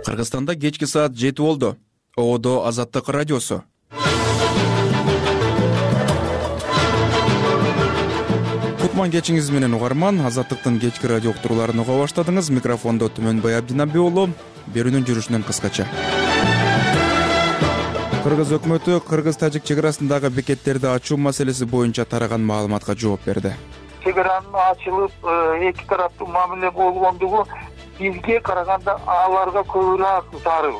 Кыргызстанда кечки саат 7 болду. ООД Азаттык радиосу. Кутман кечиңиз менен угарман. Азаттыктын кечки радио уктурууларын уга баштадыңыз. Микрофондо Түмөнбай Абдинаби уулу. Берүүнүн жүрүшүнөн кыскача. Кыргыз өкмөтү кыргыз-тажик чек арасындагы бекеттерди ачуу маселеси боюнча тараган маалыматка жооп берди. Чек аранын ачылып, эки тараптуу мамиле болгондугу бизге караганда аларга көбүрөөк зарыл.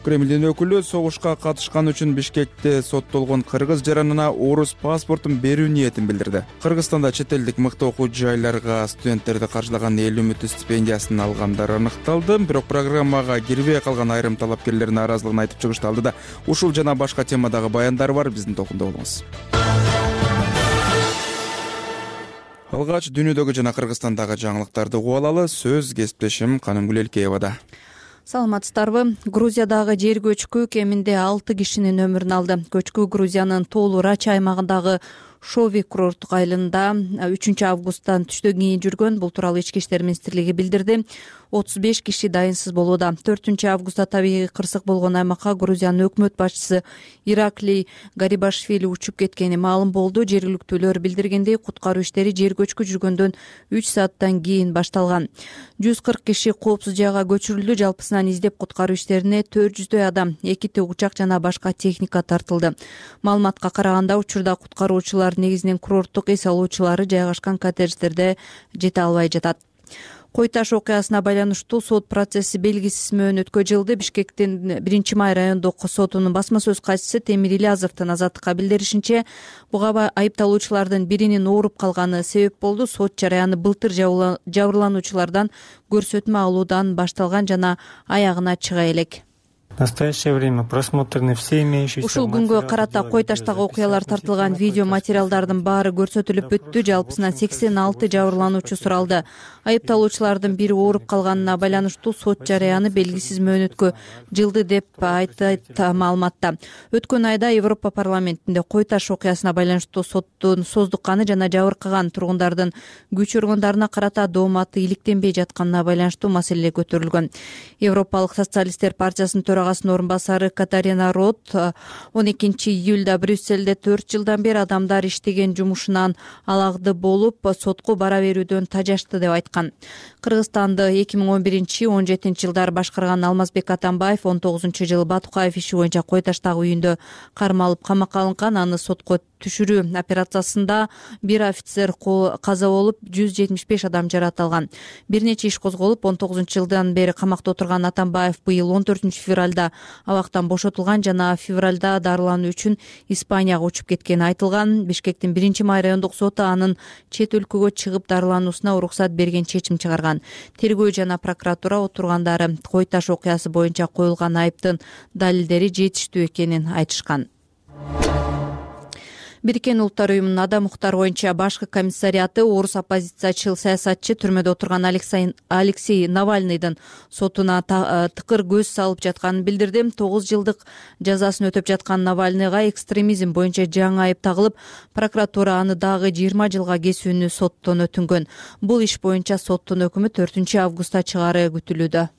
Кремлдин өкүлү согушка катышкан үчүн Бишкекте соттолгон кыргыз жаранына орус паспортун берүү ниетин билдирди. Кыргызстанда чет элдик мыкты окуу жайларга студенттерди каржылаган эл үмүтү стипендиясын алгандар аныкталды. Бирок программага кирбей калган айрым талапкерлер нааразылыгын айтып чыгышты. Алдыда ушул жана башка темадагы баяндар бар. Биздин токунда болуңуз. Алгач дүйнөдөгү жана Кыргызстандагы жаңылыктарды угуп алалы. Сөз кесиптешим Канымгүл Элкеевада. Саламатсыздарбы? Грузиядагы жер көчкү кеминде 6 кишинин өмүрүн алды. Көчкү Грузиянын Тоолу Рача аймагындагы Шови курорттук айылында 3 августтан түштөн кийин жүргөн. Бул тууралуу Ички иштер министрлиги билдирди. 35 киши дайынсыз болууда. 4 августта табигый кырсык болгон аймакка Грузиянын өкмөт башчысы Ираклий Гарибашвили учуп кеткени маалым болду. Жергиликтүүлөр билдиргендей, куткаруу иштери жер көчкү жүргөндөн 3 сааттан кийин башталган. 140 киши коопсуз жайга көчүрүлдү. Жалпысынан издеп куткаруу иштерине 400дөй адам, 2 тыгучак жана башка техника тартылды. Маалыматка караганда, учурда куткаруучулар негизинен курорттук эс алуучулары жайгашкан коттедждерде жете албай жатат. Кой таш окуясына байланыштуу сот процесси белгисиз мөөнөткө жылды. Бишкектин 1-май райондук сотунун басма сөз катчысы Темир Ильязовдун Азаттыкка билдиришинче, буга айыпталуучулардын биринин ооруп калганы себеп болду. Сот жараяны былтыр жабырлануучулардан көрсөтмө алуудан башталган жана аягына чыга элек. В настоящее время просмотрены все имеющиеся. Ушул күнгө карата Кой таштагы окуялар тартылган видео материалдардын баары көрсөтүлүп бүттү. Жалпысынан 86 жабырлануучу суралды. Айыпталуучулардын бири ооруп калганына байланыштуу сот жараяны белгисиз мөөнөткө жылды деп айтат маалыматта. Өткөн айда Европа парламентинде Кой таш окуясына байланыштуу соттун создукканы жана жабыркаган тургундардын күч органдарына карата дооматы иликтенбей жатканына байланыштуу маселе көтөрүлгөн. Европалык социалисттер партиясынын төрагасынын орун басары Катарина Рот 12 июлда Брюссельде 4 жылдан бери адамдар иштеген жумушунан алагды болуп, сотко бара берүүдөн тажашты деп айткан. Кыргызстанды 2011-17 жылдары башкарган Алмазбек Атамбаев 19-жылы Батукаев иши боюнча Кой таштагы үйүндө кармалып камакка алынган. Аны сотко түшүрүү операциясында бир офицер каза болуп, 175 адам жаратылган. Бир нече иш козголуп, 19-жылдан бери камакта отурган Атамбаев быйыл 14-февралда абактан бошотулган жана февралда дарылануу үчүн Испанияга учуп кеткени айтылган. Бишкектин 1-май райондук соту анын чет өлкөгө чыгып дарылануусуна уруксат берген чечим чыгарган. Тергөө жана прокуратура отургандары Кой таш окуясы боюнча коюлган айыптын далилдери жетиштүү экенин айтышкан. Бириккен Улуттар уюмунун адам укуктары боюнча башкы комиссариаты орус оппозициячыл саясатчы түрмөдө отурган Алексей Навальныйдын сотуна тыкыр көз салып жатканын билдирди. 9 жылдык жазасын өтөп жаткан Навальныйга экстремизм боюнча жаңы айып тагылып, прокуратура аны дагы 20 жылга кесүүнү соттон өтүнгөн. Бул иш боюнча соттун өкүмү 4 августта чыгаары күтүлүүдө.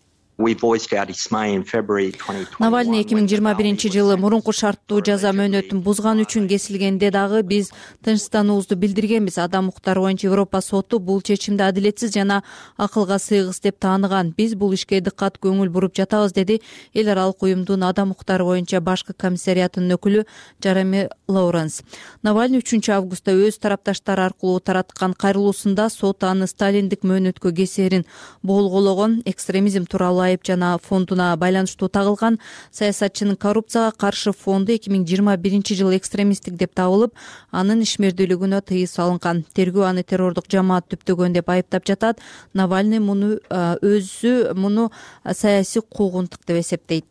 Навальный 2021-жылы мурунку шарттуу жаза мөөнөтүн бузган үчүн кесилгенде дагы биз тынчтануубузду билдиргенбиз. Адам укуктары боюнча Европа соту бул чечимди адилетсиз жана акылга сыйгыс деп тааныган. Биз бул ишке дыккат көңүл буруп жатабыз, деди эл аралык уюмдун адам укуктары боюнча башкы комиссариятынын өкүлү Джереми Лоуренс. Навальный 3 августта өз тарапташтары аркылуу тараткан кайрылуусунда сот аны сталиндик мөөнөткө кесээрин болгоологон. Экстремизм тууралуу айып жана фондуна байланыштуу тагылган. Саясатчынын коррупцияга каршы фонду 2021-жылы экстремисттик деп табылып, анын ишмердүүлүгүнө тыюу салынган. Тергөө аны террордук жамаат түптөгөн деп айыптап жатат. Навальный муну саясий куугунтук деп эсептейт.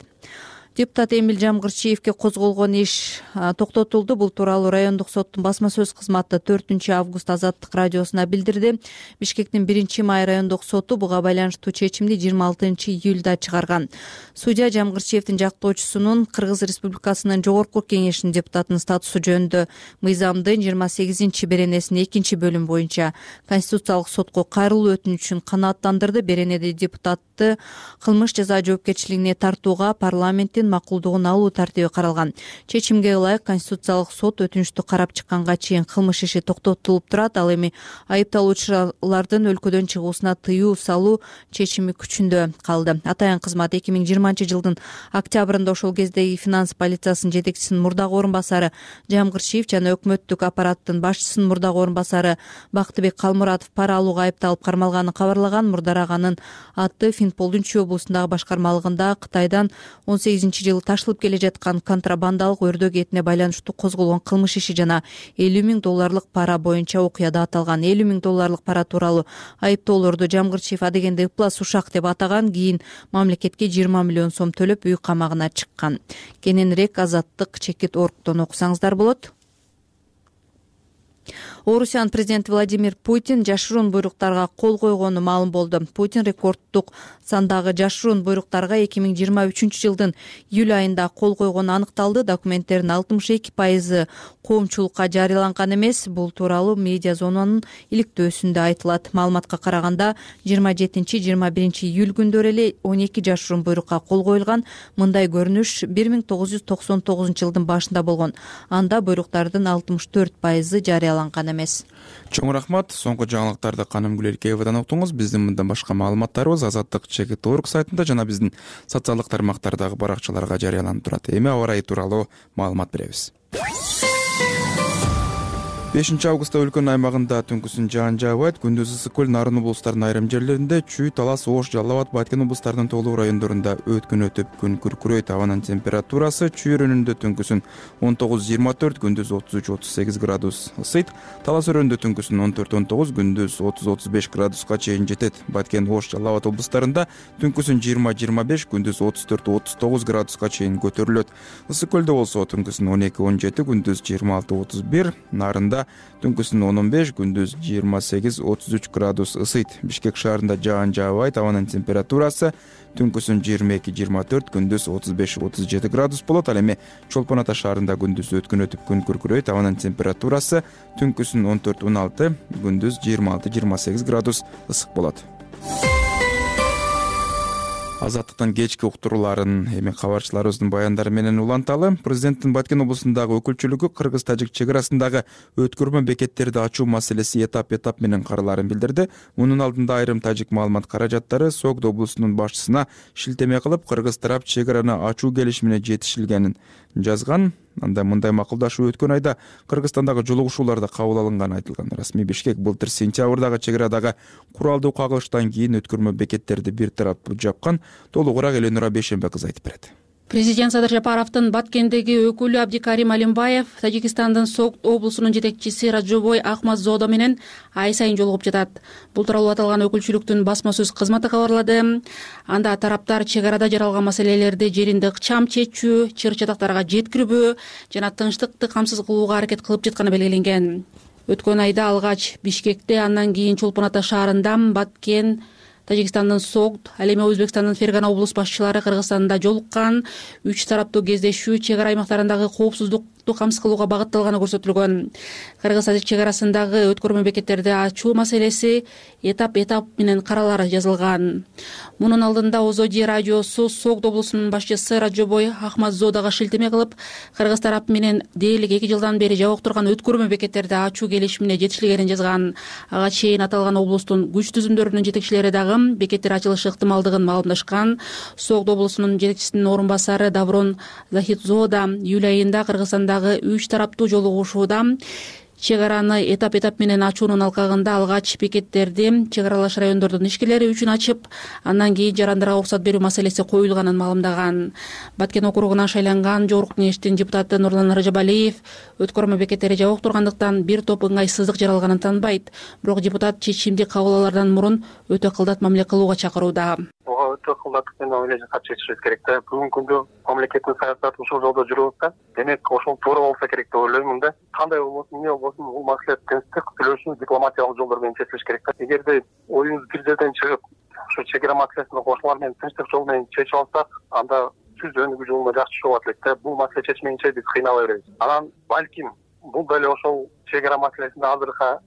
Депутат Эмиль Жамгырчиевке козголгон иш токтотулду. Бул тууралуу райондук соттун басма сөз кызматы 4 август Азаттык радиосуна билдирди. Бишкектин 1-май райондук соту буга байланыштуу чечимди 26 июлда чыгарган. Судья Жамгырчиевдин жактоочусунун Кыргыз Республикасынын жогорку кеңешинин депутатынын статусу жөнүндө мыйзамдын 28 беренесинин 2-бөлүмү боюнча Конституциялык сотко кайрылуу өтүнүчүн канааттандырды. Беренеде депутатты кылмыш жаза жоопкерчилигине тартууга парламенттин макулдугун алуу тартиби каралган. Чечимге ылайык Конституциялык сот өтүнүчтү карап чыкканга чейин кылмыш иши токтотулуп турат. Ал эми айыпталуучулардын өлкөдөн чыгуусуна тыюу салуу чечими күчүндө калды. Атайын кызмат 2020 жылдын октябрында ошол кездеги финанс полициясынын жетекчисинин мурдагы орун басары Жамгырчиев жана өкмөттүк аппараттын башчысынын мурдагы орун басары Бактыбек Калмуратов пара алууга айыпталып кармалганын кабарлаган. Мурдар аганын аты Финполдун Чүй облусундагы башкармалыгында Кытайдан 18-жылы ташылып келе жаткан контрабандалык өрдөөк этине байланыштуу козголгон кылмыш иши жана $50,000 пара боюнча окуяда аталган. $50,000 пара тууралуу айыптоолорду Жамгырчиев адегенде ыплас ушак деп атаган. Кийин мамлекетке 20 миллион сом төлөп үй камагына чыккан. Кененирээк Азаттык чекит оргтон окусаңыздар болот. Орусиянын президенти Владимир Путин жашыруун буйруктарга кол койгону маалым болду. Путин рекорддук сандагы жашыруун буйруктарга 2023 жылдын июль айында кол койгону аныкталды. Документтердин 62% коомчулукка жарыяланган эмес. Бул тууралуу медиа зонанын иликтөөсүндө айтылат. Маалыматка караганда 27-21 июль күндөрү эле 12 жашыруун буйрукка кол коюлган. Мындай көрүнүш 1999 жылдын башында болгон. Анда буйруктардын 64% жарыяланган эмес. Чоң рахмат. Соңку жаңылыктарды Канымгүл Эркеевадан уктуңуз. Биздин мындан башка маалыматтарыбыз Азаттык чекит орг сайтында жана биздин социалдык тармактардагы баракчаларга жарыяланып турат. Эми аба ырайы тууралуу маалымат беребиз. 5 августта өлкөнүн аймагында түнкүсүн жаан жаабайт. Күндүз ысык көл, Нарын облустарынын айрым жерлеринде, Чүй, Талас, Ош, Жалал абад, Баткен облустарынын тоолуу райондорунда өткөн өтүп күн күркүрөйт. Абанын температурасы Чүй өрөөнүндө түнкүсүн 19-24, күндүз 33-38 градус ысыйт. Талас өрөөнүндө түнкүсүн 14-19, күндүз 30-35 градуска чейин жетет. Баткен, Ош, Жалал абад облустарында түнкүсүн 20-25, күндүз 34-39 градуска чейин көтөрүлөт. Ысык көлдө болсо түнкүсүн 12-17, күндүз 26-31, Нарында түнкүсүн 15, күндүз 28-33 градус ысыйт. Бишкек шаарында жаан жаабайт. Абанын температурасы түнкүсүн 22-24, күндүз 35-37 градус болот. Ал эми Чолпон Ата шаарында күндүз өткөн өтүп күн күркүрөйт. Абанын температурасы түнкүсүн 14-16, күндүз 26-28 градус ысык болот. Азаттыктын кечки уктурууларын эми кабарчыларыбыздын баяндары менен уланталы. Президенттин Баткен облусундагы өкүлчүлүгү кыргыз-тажик чек арасындагы өткөрмө бекеттерди ачуу маселеси этап менен каралаарын билдирди. Мунун алдында айрым тажик маалымат каражаттары Согд облусунун башчысына шилтеме кылып, кыргыз тарап чек араны ачуу келишимине жетишилгенин жазган. Анда мындай макулдашуу өткөн айда Кыргызстандагы жолугушууларда кабыл алынганы айтылган. Расмий Бишкек былтыр сентябрдагы чек арадагы куралдуу кагылыштан кийин өткөрмө бекеттерди бир тараптуу жапкан. Толугураак Эленура Бейшенбе кызы айтып берет. Президент Садыр Жапаровдун Баткендеги өкүлү Абдикарим Алимбаев Тажикстандын Согд облусунун жетекчиси Раджобой Ахмадзодо менен ай сайын жолугуп жатат. Бул тууралуу аталган өкүлчүлүктүн басма сөз кызматы кабарлады. Анда тараптар чек арада жаралган маселелерди жеринде ыкчам чечүү, чыр-чатактарга жеткирбөө жана тынчтыкты камсыз кылууга аракет кылып жатканы белгиленген. Өткөн айда алгач Бишкекте, андан кийин Чолпон Ата шаарында, Баткен, Тажикстандын Согд, ал эми Өзбекстандын Фергана облус башчылары Кыргызстанда жолуккан. 3 тараптуу кездешүү чек ара аймактарындагы коопсуздукту камсыз кылууга багытталганы көрсөтүлгөн. Кыргыз-тажик чек арасындагы өткөрмө бекеттерди ачуу маселеси этап менен каралары жазылган. Мунун алдында Озоди радиосу Согд облусунун башчысы Раджобой Ахмадзодого шилтеме кылып, кыргыз тарап менен дээрлик 2 жылдан бери жабык турган өткөрмө бекеттерди ачуу келишимине жетишилгенин жазган. Ага чейин аталган облустун күч түзүмдөрүнүн жетекчилери дагы бекеттер ачылышы ыктымалдыгын маалымдашкан. Согд облусунун жетекчисинин орун басары Даврон Захидзода июль айында Кыргызстандагы 3 тараптуу жолугушууда чек араны этап менен ачуунун алкагында алгач бекеттерди чек аралаш райондордун ишкерлери үчүн ачып, андан кийин жарандарга уруксат берүү маселеси коюлганын маалымдаган. Баткен округунан шайланган Жогорку кеңештин депутаты Нурлан Ражабалиев өткөрмө бекеттери жабык тургандыктан бир топ ыңгайсыздык жаралганын тааныбайт. Бирок депутат чечимди кабыл алаардан мурун өтө кылдат мамиле кылууга чакырууда. Буга тыкылдатып мен ойлойм чечишибиз керек да. Бүгүнкү күндө мамлекеттин саясаты ушул жолдо жүрүп атат. Демек ошол туура болсо керек деп ойлоймун да. Кандай болбосун, эмне болбосун, бул маселе тынчтык, сүйлөшүү, дипломатиялык жолдор менен чечилиш керек да. Эгерде оюбуз бир жерден чыгып, ушу чек ара маселесин кошулар менен тынчтык жол менен чечип алсак, анда түз өнүгүү жолуна жакшы чыгып атат элек да. Бул маселе чечмейинче биз кыйнала беребиз. Анан балким бул деле ошол чек ара маселесинде азыркы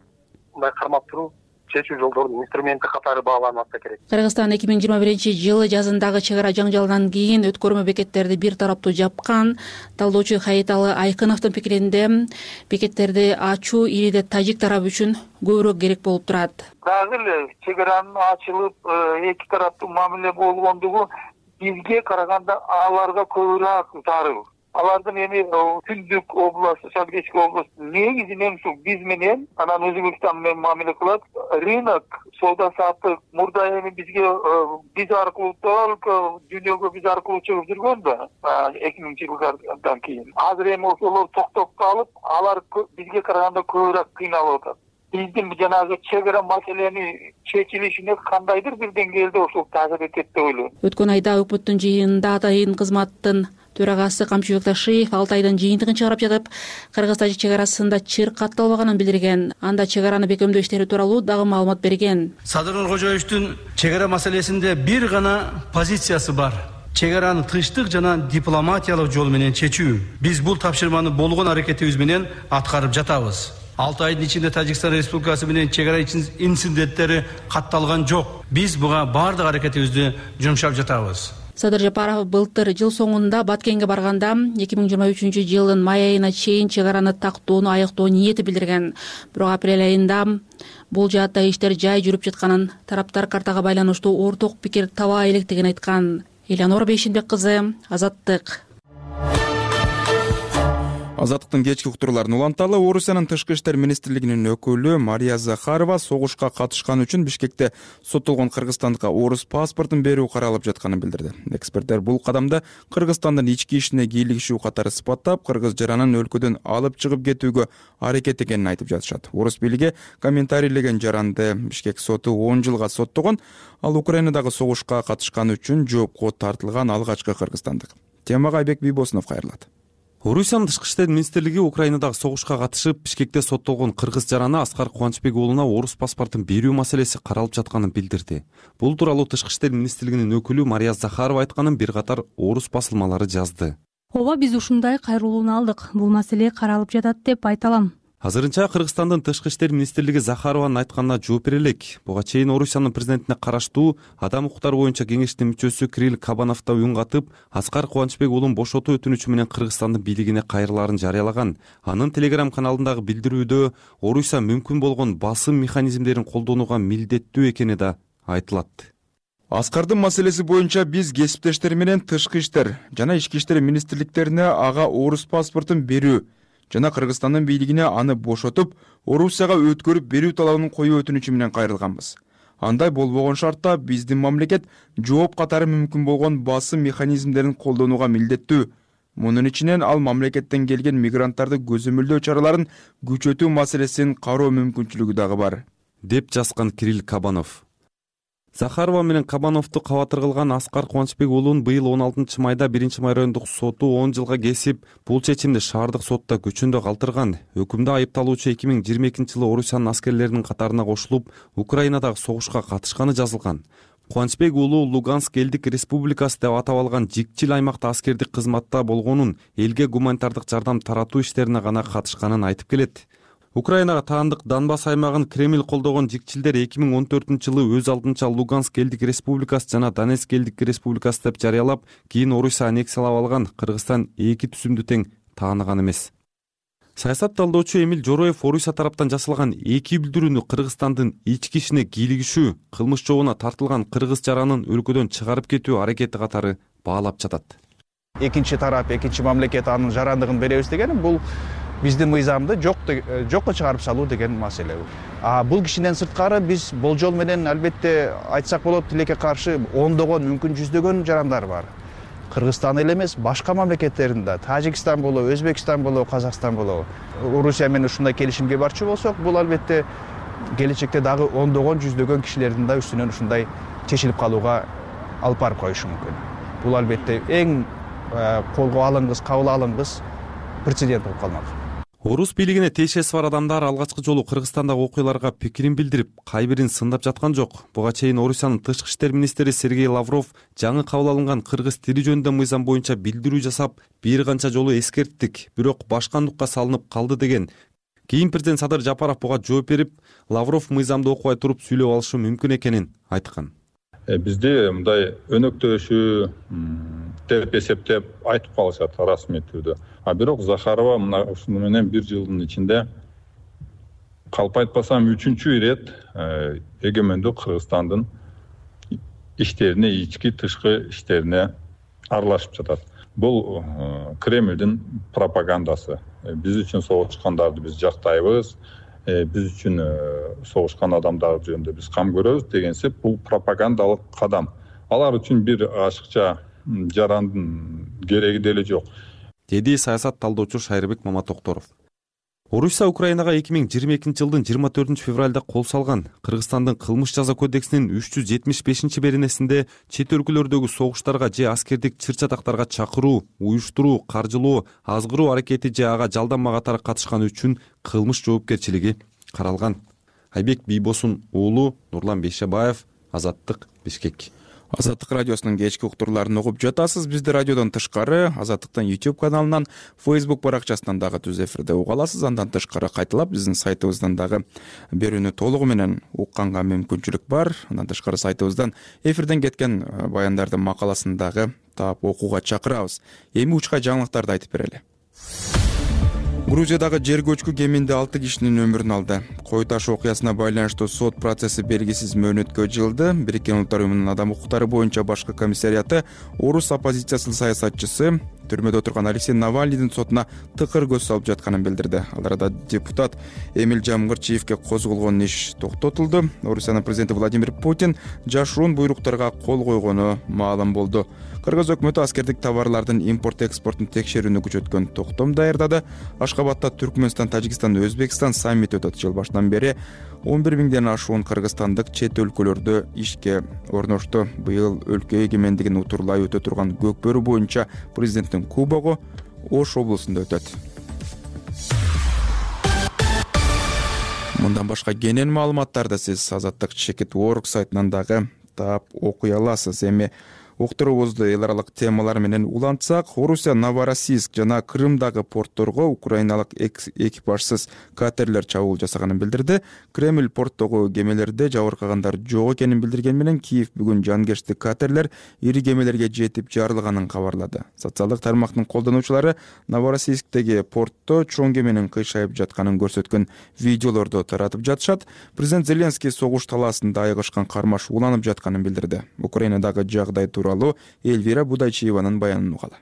мындай кармап туруп чечүү жолдорунун инструменти катары бааланып атса керек. Кыргызстан 2021-жылы жазындагы чек ара жаңжалынан кийин өткөрмө бекеттерди бир тараптуу жапкан. Талдоочу Хаиталы Айкыновдун пикиринде бекеттерди ачуу ириде тажик тарабы үчүн көбүрөөк керек болуп турат. Дагы эле чек аранын ачылып эки тараптуу мамиле болгондугу бизге караганда аларга көбүрөөк зарыл. Алардын эми Түндүк область, Шалгечки область негизинен ушу биз менен анан Өзбекстан менен мамиле кылат. Рынок, соода саттык мурда эми бизге биз аркылуу только дүйнөгө биз аркылуу чыгып жүргөн да 2000-жылдардан кийин. Азыр эми ошолор токтоп калып, алар бизге караганда көбүрөөк кыйналып атат. Биздин жанагы чек ара маселени чечилишине кандайдыр бир деңгээлде ошол таасир этет деп ойлойм. Өткөн айда өкмөттүн жыйынында атайын кызматтын төрагасы Камчыбек Ташиев 6 айдын жыйынтыгын чыгарып жатып, Кыргыз-Тажик чек арасында чыр катталбаганын билдирген. Анда чек араны бекемдөө иштери тууралуу дагы маалымат берген. Садыр Нуркожоевичтин чек ара маселесинде бир гана позициясы бар. Чек араны тынчтык жана дипломатиялык жол менен чечүү. Биз бул тапшырманы болгон аракетибиз менен аткарып жатабыз. 6 айдын ичинде Тажикстан Республикасы менен чек ара инциденттери катталган жок. Биз буга бардык аракетибизди жумшап жатабыз. Садыр Жапаров былтыр жыл соңунда Баткенге барганда 2023-жылдын май айына чейин чек араны тактоону аяктоо ниети билдирген. Бирок апрель айында бул жаатта иштер жай жүрүп жатканын, тараптар картага байланыштуу орток пикир таба электигин айткан. Элеонора Бейшенбек кызы, Азаттык. Азаттыктын кечки уктурууларын уланталы. Орусиянын тышкы иштер министрлигинин өкүлү Мария Захарова согушка катышкан үчүн Бишкекте соттолгон кыргызстандыкка орус паспортун берүү каралып жатканын билдирди. Эксперттер бул кадамды Кыргызстандын ички ишине кийлигишүү катары сыпаттап, кыргыз жаранын өлкөдөн алып чыгып кетүүгө аракет экенин айтып жатышат. Орус бийлиги комментарийлеген жаранды Бишкек соту 10 жылга соттогон, ал Украинадагы согушка катышкан үчүн жоопко тартылган алгачкы кыргызстандык. Темага Айбек Бийбосунов кайрылат. Орусиянын тышкы иштер министрлиги Украинадагы согушка катышып, Бишкекте соттолгон кыргыз жараны Аскар Кубанычбек уулуна орус паспортун берүү маселеси каралып жатканын билдирди. Бул тууралуу тышкы иштер министрлигинин өкүлү Мария Захарова айтканын бир катар орус басылмалары жазды. Ооба, биз ушундай кайрылууну алдык. Бул маселе каралып жатат деп айта алам. Азырынча Кыргызстандын тышкы иштер министрлиги Захарованын айтканына жооп бере элек. Буга чейин Орусиянын президентине караштуу адам укуктары боюнча кеңештин мүчөсү Кирилл Кабанов да үн катып, Аскар Кубанычбек уулун бошотуу өтүнүчү менен Кыргызстандын бийлигине кайрылаарын жарыялаган. Анын Telegram каналындагы билдирүүдө Орусия мүмкүн болгон басым механизмдерин колдонууга милдеттүү экени да айтылат. Аскардын маселеси боюнча биз кесиптештер менен тышкы иштер жана ички иштер министрликтерине ага орус паспортун берүү жана Кыргызстандын бийлигине аны бошотуп, Орусияга өткөрүп берүү талабын коюу өтүнүчү менен кайрылганбыз. Андай болбогон шартта биздин мамлекет жооп катары мүмкүн болгон басым механизмдерин колдонууга милдеттүү. Мунун ичинен ал мамлекеттен келген мигранттарды көзөмөлдөө чараларын күчөтүү маселесин кароо мүмкүнчүлүгү дагы бар, деп жазган Кирилл Кабанов. Захарова менен Кабановду кабатыр кылган Аскар Кубанычбек уулун быйыл 16-майда 1-май райондук соту 10 жылга кесип, бул чечимди шаардык сотто көчөндө калтырган. Өкүмдө айыпталуучу 2022-жылы Орусиянын аскерлеринин катарына кошулуп, Украинадагы согушка катышканы жазылган. Кубанычбек уулу Луганск элдик республикасы деп атап алган жикчил аймакта аскердик кызматта болгонун, элге гуманитардык жардам таратуу иштерине гана катышканын айтып келет. Украинага таандык Донбасс аймагын Кремль колдогон жикчилдер 2014-жылы өз алдынча Луганск элдик республикасы жана Донецк элдик республикасы деп жарыялап, кийин Орусия аннексиялап алган. Кыргызстан эки түзүмдү тең тааныган эмес. Саясат талдоочу Эмил Жороев Орусия тараптан жасалган эки билдирүүнү Кыргызстандын ички ишине кийлигишүү, кылмыш жообуна тартылган кыргыз жаранын өлкөдөн чыгарып кетүү аракети катары баалап жатат. Экинчи тарап, экинчи мамлекет анын жарандыгын беребиз дегени бул биздин мыйзамды жокко чыгарып салуу деген маселе. Бул кишинен сырткары биз болжол менен албетте айтсак болот, тилекке каршы ондогон, мүмкүн жүздөгөн жарандар бар. Кыргызстан эле эмес, башка мамлекеттеринде, Тажикстан болобу, Өзбекстан болобу, Казакстан болобу. Орусия менен ушундай келишимге барчу болсок, бул албетте келечекте дагы ондогон, жүздөгөн кишилердин да үстүнөн ушундай чечилип калууга алып барып коюшу мүмкүн. Бул албетте эң колго алынгыс, кабыл алынгыс прецедент болуп калмак. Орус бийлигине тиешеси бар адамдар алгачкы жолу Кыргызстандагы окуяларга пикирин билдирип, кайбирин сындап жаткан жок. Буга чейин Орусиянын тышкы иштер министри Сергей Лавров жаңы кабыл алынган кыргыз тили жөнүндө мыйзам боюнча билдирүү жасап, бир канча жолу эскерттик, бирок башкандыкка салынып калды деген. Кийин президент Садыр Жапаров буга жооп берип, Лавров мыйзамды окубай туруп сүйлөп алышы мүмкүн экенин айткан. Бизде мындай өнөктөшүү деп эсептеп айтып калышат расмий түрдө. Бирок Захарова мына ушуну менен 1 жылдын ичинде калп айтпасам 3-чү ирет эгемендүү Кыргызстандын иштерине, ички тышкы иштерине аралашып жатат. Бул Кремлдин пропагандасы. Биз үчүн согушкандарды биз жактайбыз, биз үчүн согушкан адамдар жөнүндө биз кам көрөбүз дегенсип, бул пропагандалык кадам. Алар үчүн бир ашыкча жарандын кереги деле жок, деди саясат талдоочу Шайрбек Маматокторов. Орусия Украинага 2022 жылдын 24 февралда кол салган. Кыргызстандын кылмыш жаза кодексинин 375-беренесинде чет өлкөлөрдөгү согуштарга же аскердик чыр-чатактарга чакыруу, уюштуруу, каржылоо, азгыруу аракети же ага жалданма катары катышкан үчүн кылмыш жоопкерчилиги каралган. Айбек Бийбосун уулу, Нурлан Бейшебаев, Азаттык, Бишкек. Азаттык радиосунун кечки уктурларын угуп жатасыз. Бизди радиодон тышкары Азаттыктын YouTube каналынан, Facebook баракчасынан дагы түз эфирде уга аласыз. Андан тышкары кайталап биздин сайтыбыздан дагы берүүнү толугу менен укканга мүмкүнчүлүк бар. Андан тышкары сайтыбыздан эфирден кеткен баяндардын макаласын дагы таап окууга чакырабыз. Эми учка жаңылыктарды айтып берели. Грузиядагы жер көчкү кеминде 6 кишинин өмүрүн алды. Кой таш окуясына байланыштуу сот процесси белгисиз мөөнөткө жылды. Бириккен Улуттар уюмунун адам укуктары боюнча башкы комиссарияты орус оппозициясынын саясатчысы түрмөдө отурган Алексей Навальныйдын сотуна тыкыр көз салып жатканын билдирди. Ал арада депутат Эмиль Жамгырчиевке козголгон иш токтотулду. Орусиянын президенти Владимир Путин жашыруун буйруктарга кол койгону маалым болду. Кыргыз өкмөтү аскердик товарлардын импорт-экспортун текшерүүнү күчөткөн токтом даярдады. Ашкабадта Түркмөнстан, Тажикстан, Өзбекстан саммити өтөт. Жыл башынан бери 11 миңден ашуун кыргызстандык чет өлкөлөрдө ишке орношту. Быйыл өлкө эгемендигин утурлай өтө турган көкбөрү боюнча президенттин кубогу Ош облусунда өтөт. Мындан башка кенен маалыматтарды сиз Азаттык Чекит.org сайтынан дагы таап окуй аласыз. Эми уктуруубузду эл аралык темалар менен улантсак, Орусия Новороссийск жана Крымдагы портторго украиналык экипажсыз катерлер чабуул жасаганын билдирди. Кремль порттогу кемелерде жабыркагандар жок экенин билдирген менен Киев бүгүн жанкечтик катерлер ири кемелерге жетип жарылганын кабарлады. Социалдык тармактын колдонуучулары Новороссийсктеги портто чоң кеменин кыйшайып жатканын көрсөткөн видеолорду таратып жатышат. Президент Зеленский согуш талаасында айыгышкан кармаш уланып жатканын билдирди. Украинадагы жагдай тууралуу Эльвира Будайчиеванын баянын угалы.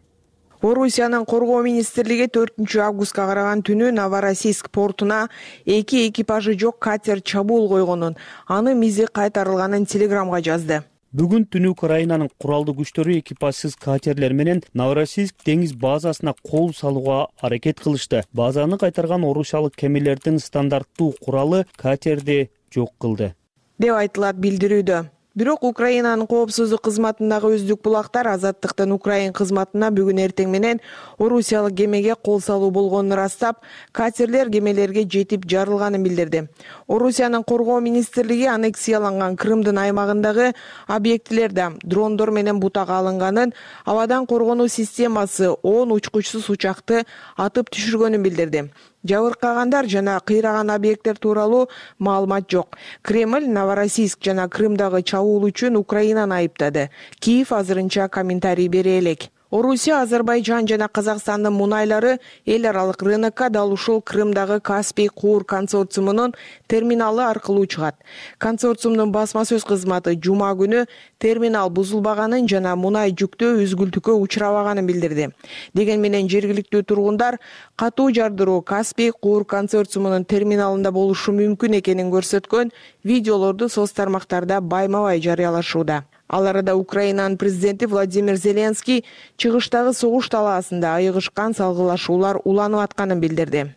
Орусиянын коргоо министрлиги 4-августка караган түнү Новороссийск портуна 2 экипажы жок катер чабуул койгонун, анын мизи кайтарылганын Телеграмга жазды. Бүгүн түнү Украинанын куралдуу күчтөрү экипажсыз катерлер менен Новороссийск деңиз базасына кол салууга аракет кылышты. Базаны кайтарган орусиялык кемелердин стандарттуу куралы катерди жок кылды, деп айтылат билдирүүдө. Бирок Украинанын коопсуздук кызматындагы өздүк булактар Азаттыктын Украин кызматына бүгүн эртең менен орусиялык кемеге кол салуу болгонун ырастап, катерлер кемелерге жетип жарылганын билдирди. Орусиянын коргоо министрлиги аннексияланган Крымдын аймагындагы объектилерде дрондор менен бутага алынганын, абадан коргонуу системасы 10 учкучсуз учакты атып түшүргөнүн билдирди. Жабыркагандар жана кыйраган объекттер тууралуу маалымат жок. Кремль Новороссийск жана Крымдагы чабуул үчүн Украинаны айыптады. Киев азырынча комментарий бере элек. Орусия, Азербайжан жана Казакстандын мунайлары эл аралык рынокко дал ушул Крымдагы Каспий Куур консорциумунун терминалы аркылуу чыгат. Консорциумдун басма сөз кызматы жума күнү терминал бузулбаганын жана мунай жүктөө үзгүлтүккө учурабаганын билдирди. Деген менен жергиликтүү тургундар катуу жардыруу Каспий Куур консорциумунун терминалында болушу мүмкүн экенин көрсөткөн видеолорду соц тармактарда байма-бай жарыялашууда. Ал арада Украинанын президенти Владимир Зеленский чыгыштагы согуш талаасында айыгышкан салгылашуулар уланып атканын билдирди.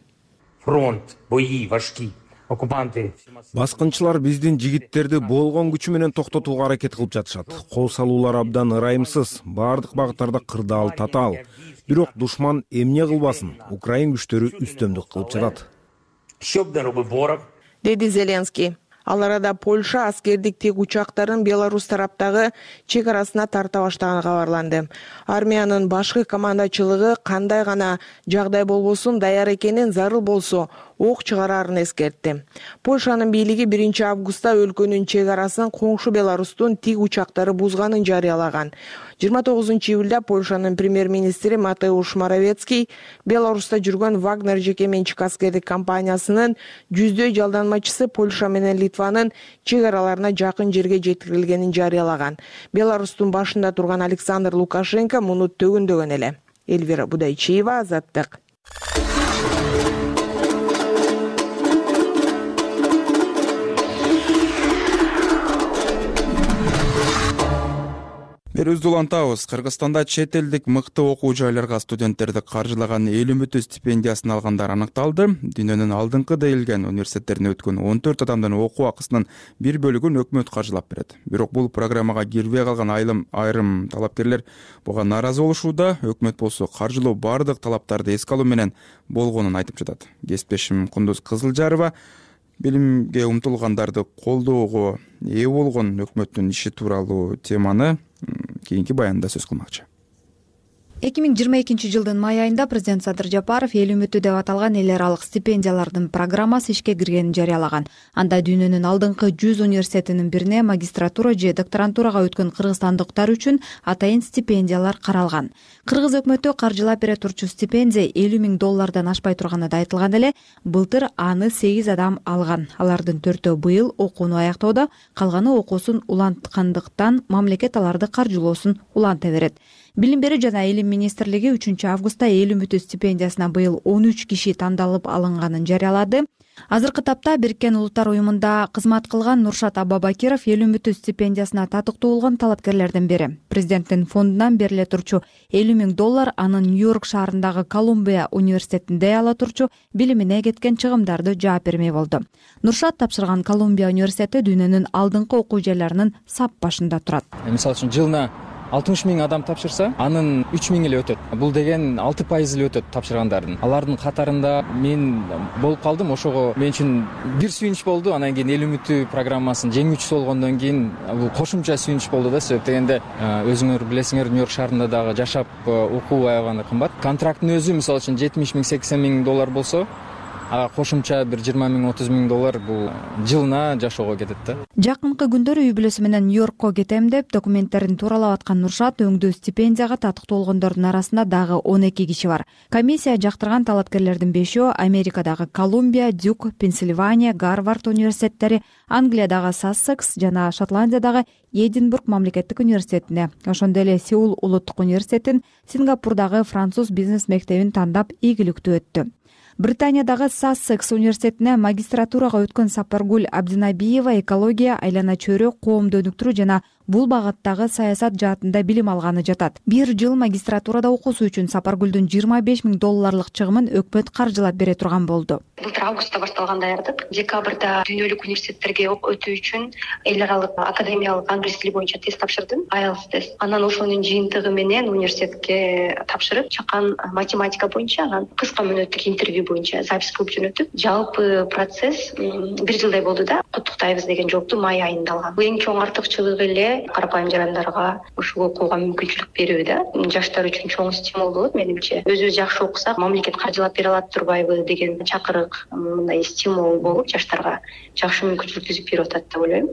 Фронт, бои важкі. Баскынчылар биздин жигиттерди болгон күчү менен токтотууга аракет кылып жатышат. Кол салуулар абдан ырайымсыз, бардык багыттарда кырдаал, татаал. Бирок душман эмне кылбасын, Украин күчтөрү үстөмдүк кылып жатат, деди Зеленский. Ал арада Польша аскердик тик учактарын Беларусь тараптагы чек арасына тарта баштаганы кабарланды. Армиянын башкы командачылыгы кандай гана жагдай болбосун даяр экенин, зарыл болсо ок чыгарарын эскертти. Польшанын бийлиги 1-августта өлкөнүн чек арасын коңшу Беларустун тик учактары бузганын жарыялаган. 29-июлда Польшанын премьер-министри Матеуш Моровецкий Беларуста жүргөн Вагнер жеке менчик аскердик компаниясынын жүздөй жалданмачысы Польша менен Литванын чек араларына жакын жерге жеткирилгенин жарыялаган. Беларустун башында турган Александр Лукашенко муну төгүндөгөн эле. Эльвира Будайчиева, Азаттык. Берүүбүздү улантабыз. Кыргызстанда чет элдик мыкты окуу жайларга студенттерди каржылаган эл үмүтү стипендиясын алгандар аныкталды. Дүйнөнүн алдыңкы дейилген университеттерине өткөн 14 адамдын окуу акысынын бир бөлүгүн өкмөт каржылап берет. Бирок бул программага кирбей калган айрым талапкерлер буга нааразы болушууда. Өкмөт болсо каржылоо бардык талаптарды эске алуу менен болгонун айтып жатат. Кесиптешим Кундуз Кызылжарова билимге умтулгандарды колдоого ээ болгон өкмөттүн иши тууралуу теманы кийинки баянда сөз кылмакчы. 2022-жылдын май айында президент Садыр Жапаров эл үмүтү деп аталган эл аралык стипендиялардын программасы ишке киргенин жарыялаган. Анда дүйнөнүн алдыңкы 100 университетинин бирине магистратура же докторантурага өткөн кыргызстандыктар үчүн атайын стипендиялар каралган. Кыргыз өкмөтү каржылап бере турчу стипендия $50,000 ашпай турганы да айтылган эле. Былтыр аны 8 адам алган. Алардын 4-өө быйыл окууну аяктоодо, калганы окуусун уланткандыктан мамлекет аларды каржылоосун уланта берет. Билим берүү жана илим министрлиги 3-августта эл үмүтү стипендиясына быйыл 13 киши тандалып алынганын жарыялады. Азыркы тапта Бириккен Улуттар уюмунда кызмат кылган Нуршат Абабакиров эл үмүтү стипендиясына татыктуу болгон талапкерлердин бири. Президенттин фондунан бериле турчу $50,000 анын Нью-Йорк шаарындагы Колумбия университетинде ала турчу билимине кеткен чыгымдарды жаап бермей болду. Нуршат тапшырган Колумбия университети дүйнөнүн алдыңкы окуу жайларынын сап башында турат. Мисалы үчүн жылына 60,000 адам тапшырса, анын 3,000 эле өтөт. Бул деген 6% эле өтөт тапшыргандардын. Алардын катарында мен болуп калдым. Ошого мен үчүн бир сүйүнүч болду. Анан кийин эл үмүтү программасын жеңүүчүсү болгондон кийин бул кошумча сүйүнүч болду да. Себеп дегенде өзүңөр билесиңер, Нью-Йорк шаарында дагы жашап окуу аябаганда кымбат. Контракттын өзү мисалы үчүн $70,000, $80,000 болсо, кошумча бир $20,000, $30,000 бул жылына жашоого кетет да. Жакынкы күндөрү үй бүлөсү менен Нью-Йоркко кетем деп документтерин тууралап аткан Нуршат өңдүү стипендияга татыктуу болгондордун арасында дагы 12 киши бар. Комиссия жактырган талапкерлердин 5-өө Америкадагы Колумбия, Дюк, Пенсильвания, Гарвард университеттери, Англиядагы Сассекс жана Шотландиядагы Эдинбург мамлекеттик университетине, ошондой эле Сеул улуттук университетин, Сингапурдагы француз бизнес мектебин тандап ийгиликтүү өттү. Британиядагы Сассекс университетине магистратурага өткөн Сапаргүл Абдинабиева экология, айлана чөйрө, коомду өнүктүрүү жана бул багыттагы саясат жаатында билим алганы жатат. Бир жыл магистратурада окуусу үчүн Сапаргүлдүн $25,000 чыгымын өкмөт каржылап бере турган болду. Былтыр августта башталган даярдык. Декабрда дүйнөлүк университеттерге өтүү үчүн эл аралык академиялык англис тили боюнча тест тапшырдым, IELTS тест. Анан ошонун жыйынтыгы менен университетке тапшырып, чакан математика боюнча, анан кыска мөөнөттүк интервью боюнча запись кылып жөнөттүк. Жалпы процесс бир жылдай болду да. Куттуктайбыз деген жоопту май айында алгам. Бул эң чоң артыкчылыгы эле карапайым жарандарга ушул окууга мүмкүнчүлүк берүү да. Жаштар үчүн чоң стимул болот менимче. Өзүбүз жакшы окусак, мамлекет каржылап бере алат турбайбы деген чакырык, мындай стимул болуп жаштарга жакшы мүмкүнчүлүк түзүп берип атат деп ойлойм.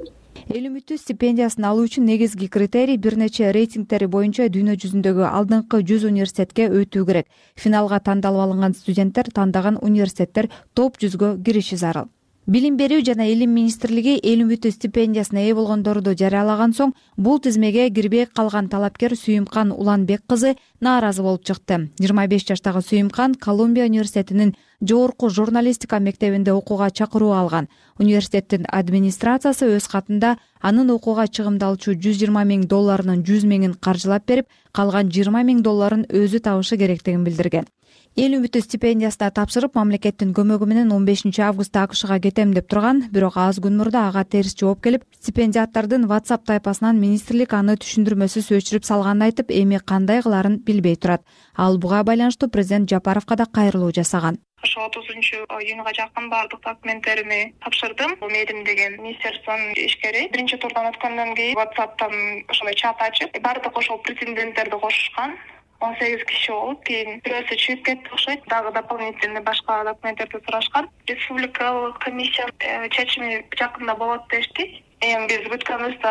Эл үмүтү стипендиясын алуу үчүн негизги критерий бир нече рейтингтери боюнча дүйнө жүзүндөгү алдыңкы 100 университетке өтүү керек. Финалга тандалып алынган студенттер тандаган университеттер топ 100гө кириши зарыл. Билим берүү жана илим министрлиги эл үмүтү стипендиясына ээ болгондорду жарыялаган соң бул тизмеге кирбей калган талапкер Сүйүмкан Уланбек кызы нааразы болуп чыкты. 25 жаштагы Сүйүмкан Колумбия университетинин жогорку журналистика мектебинде окууга чакыруу алган. Университеттин администрациясы өз катында анын окууга чыгымдалчу $120,000 $100,000 каржылап берип, калган $20,000 өзү табышы керектигин билдирген. Эл үмүтү стипендиясына тапшырып, мамлекеттин көмөгү менен 15 августта АКШга кетем деп турган, бирок аз күн мурда ага терс жооп келип, стипендиаттардын WhatsApp тайпасынан министрлик аны түшүндүрмөсүз өчүрүп салганын айтып, эми кандай кыларын билбей турат. Ал буга байланыштуу президент Жапаровго да кайрылуу жасаган. Ошо 30-июнга жакын баардык документтерими тапшырдым. Медим деген министерствонун ишкери биринчи турдан өткөндөн кийин WhatsApp'тан ошондой чат ачып, баардык ошол претенденттерди кошушкан. 18 киши болуп, кийин бирөөсү чыгып кетти окшойт. Дагы дополнительный башка документтерди сурашкан. Республикалык комиссия чечими жакында болот дешти. Эми биз бүткөнүбүздө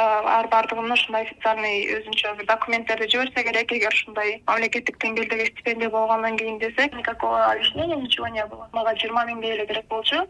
баардыгын ушундай официальный өзүнчө бир документтерди жиберсе керек. Эгер ушундай мамлекеттик деңгээлдеги стипендия болгондон кийин десек, никакого объяснения ничего не было. Мага 20 миңге эле керек болчу.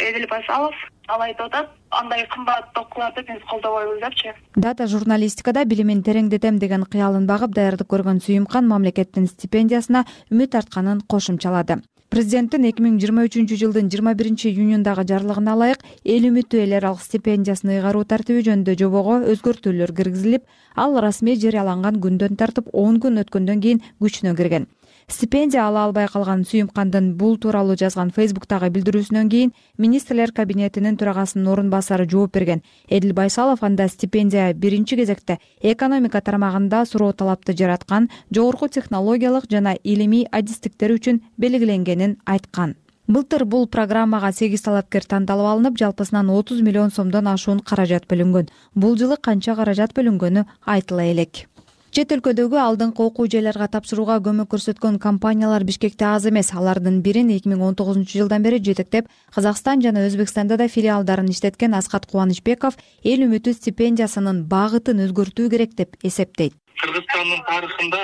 Эдил Байсалов ал айтып атат, андай кымбат окууларды биз колдобойбуз депчи. Дата журналистикада билимин тереңдетем деген кыялын багып даярдык көргөн Сүйүмкан мамлекеттин стипендиясына үмүт артканын кошумчалады. Президенттин 2023 жылдын 21 июнундагы жарлыгына ылайык эл үмүтү эл аралык стипендиясын ыйгаруу тартиби жөнүндө жобого өзгөртүүлөр киргизилип, ал расмий жарыяланган күндөн тартып 10 күн өткөндөн кийин күчүнө кирген. Стипендия ала албай калган Сүйүмкандын бул тууралуу жазган Фейсбуктагы билдирүүсүнөн кийин министрлер кабинетинин төрагасынын орун басары жооп берген. Эдил Байсалов анда стипендия биринчи кезекте экономика тармагында суроо талапты жараткан, жогорку технологиялык жана илимий адистиктер үчүн белгиленгенин айткан. Былтыр бул программага 8 талапкер тандалып алынып, жалпысынан 30 миллион сомдон ашуун каражат бөлүнгөн. Бул жылы канча каражат бөлүнгөнү айтыла элек. Чет өлкөдөгү алдыңкы окуу жайларга тапшырууга көмөк көрсөткөн компаниялар Бишкекте аз эмес. Алардын бирин 2019 жылдан бери жетектеп, Казакстан жана Өзбекстанда да филиалдарын иштеткен Аскат Кубанычбеков эл үмүтү стипендиясынын багытын өзгөртүү керек деп эсептейт. Кыргызстандын тарыхында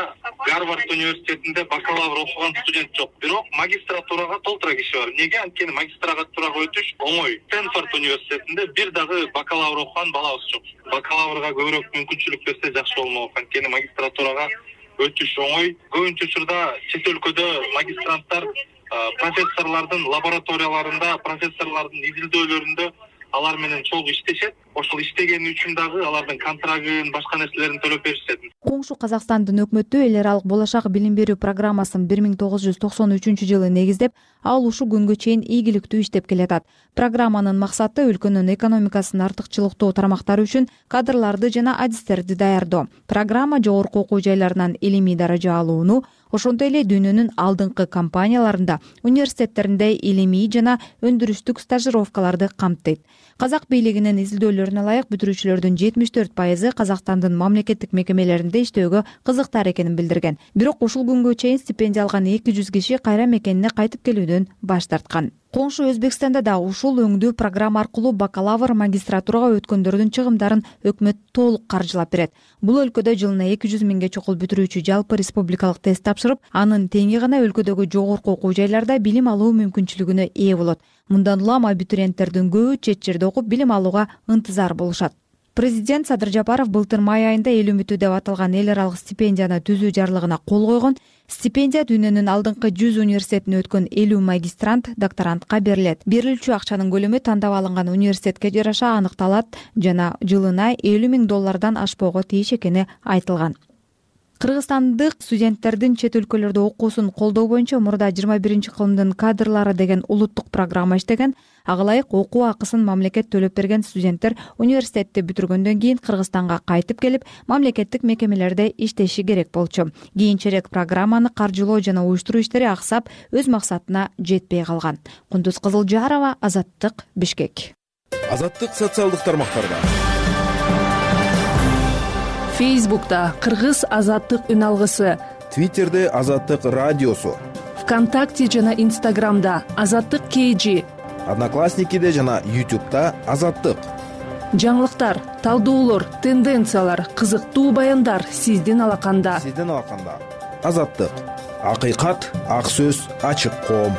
Гарвард университетинде бакалавр окуган студент жок, бирок магистратурага толтура киши бар. Неге? Анткени магистратурага өтүш оңой. Стэнфорд университетинде бир дагы бакалавр окуган балабыз жок. Бакалаврга көбүрөөк мүмкүнчүлүк берсе жакшы болмок. Анткени магистратурага өтүш оңой. Көбүнчө учурда чет өлкөдө магистранттар профессорлордун лабораторияларында, профессорлордун изилдөөлөрүндө алар менен чогуу иштешет. Ошол иштегени үчүн дагы алардын контрагын, башка нерселерин төлөп беришет. Коңшу Казакстандын өкмөтү эл аралык болашак билим берүү программасын 1993 жылы негиздеп, ал ушу күнгө чейин ийгиликтүү иштеп келатат. Программанын максаты өлкөнүн экономикасын артыкчылыктуу тармактары үчүн кадрларды жана адистерди даярдоо. Программа жогорку окуу жайларынан илимий даража алууну, ошондой эле дүйнөнүн алдыңкы компанияларында, университеттеринде илимий жана өндүрүштүк стажировкаларды камтыйт. Казак бийлигинин изилдөөлөрүнө ылайык бүтүрүүчүлөрдүн 74% Казакстандын мамлекеттик мекемелеринде иштөөгө кызыктар экенин билдирген. Бирок ушул күнгө чейин стипендия алган 200 киши кайра мекенине кайтып келүүдөн баш тарткан. Коңшу Өзбекстанда да ушул өңдүү программа аркылуу бакалавр, магистратурага өткөндөрдүн чыгымдарын өкмөт толук каржылап берет. Бул өлкөдө жылына 200 миңге чокул бүтүрүүчү жалпы республикалык тест тапшырып, анын теңи гана өлкөдөгү жогорку окуу жайларда билим алуу мүмкүнчүлүгүнө ээ болот. Мындан улам абитуриенттердин көбү чет жерде окуп билим алууга ынтызар болушат. Президент Садыр Жапаров былтыр май айында эл үмүтү деп аталган эл аралык стипендияны түзүү жарлыгына кол койгон. Стипендия дүйнөнүн алдыңкы 100 университетине өткөн 50 магистрант, докторантка берилет. Берилүүчү акчанын көлөмү тандап алынган университетке жараша аныкталат жана жылына $50,000 ашпоого тийиш экени айтылган. Кыргызстандык студенттердин чет өлкөлөрдө окуусун колдоо боюнча мурда 21-кылымдын кадрлары деген улуттук программа иштеген. Ага ылайык окуу акысын мамлекет төлөп берген студенттер университетти бүтүргөндөн кийин Кыргызстанга кайтып келип, мамлекеттик мекемелерде иштеши керек болчу. Кийинчерээк программаны каржылоо жана уюштуруу иштери аксап, өз максатына жетпей калган. Кундуз Кызылжарова, Азаттык, Бишкек. Азаттык социалдык тармактарда. Фейсбукта Кыргыз Азаттык үн алгысы, Твиттерде Азаттык радиосу, ВКонтакте жана Инстаграмда Азаттык KG, Одноклассникиде жана YouTube'да Азаттык. Жаңылыктар, талдоолор, тенденциялар, кызыктуу баяндар сиздин алаканда. Азаттык. Акыйкат, ак сөз, ачык коом.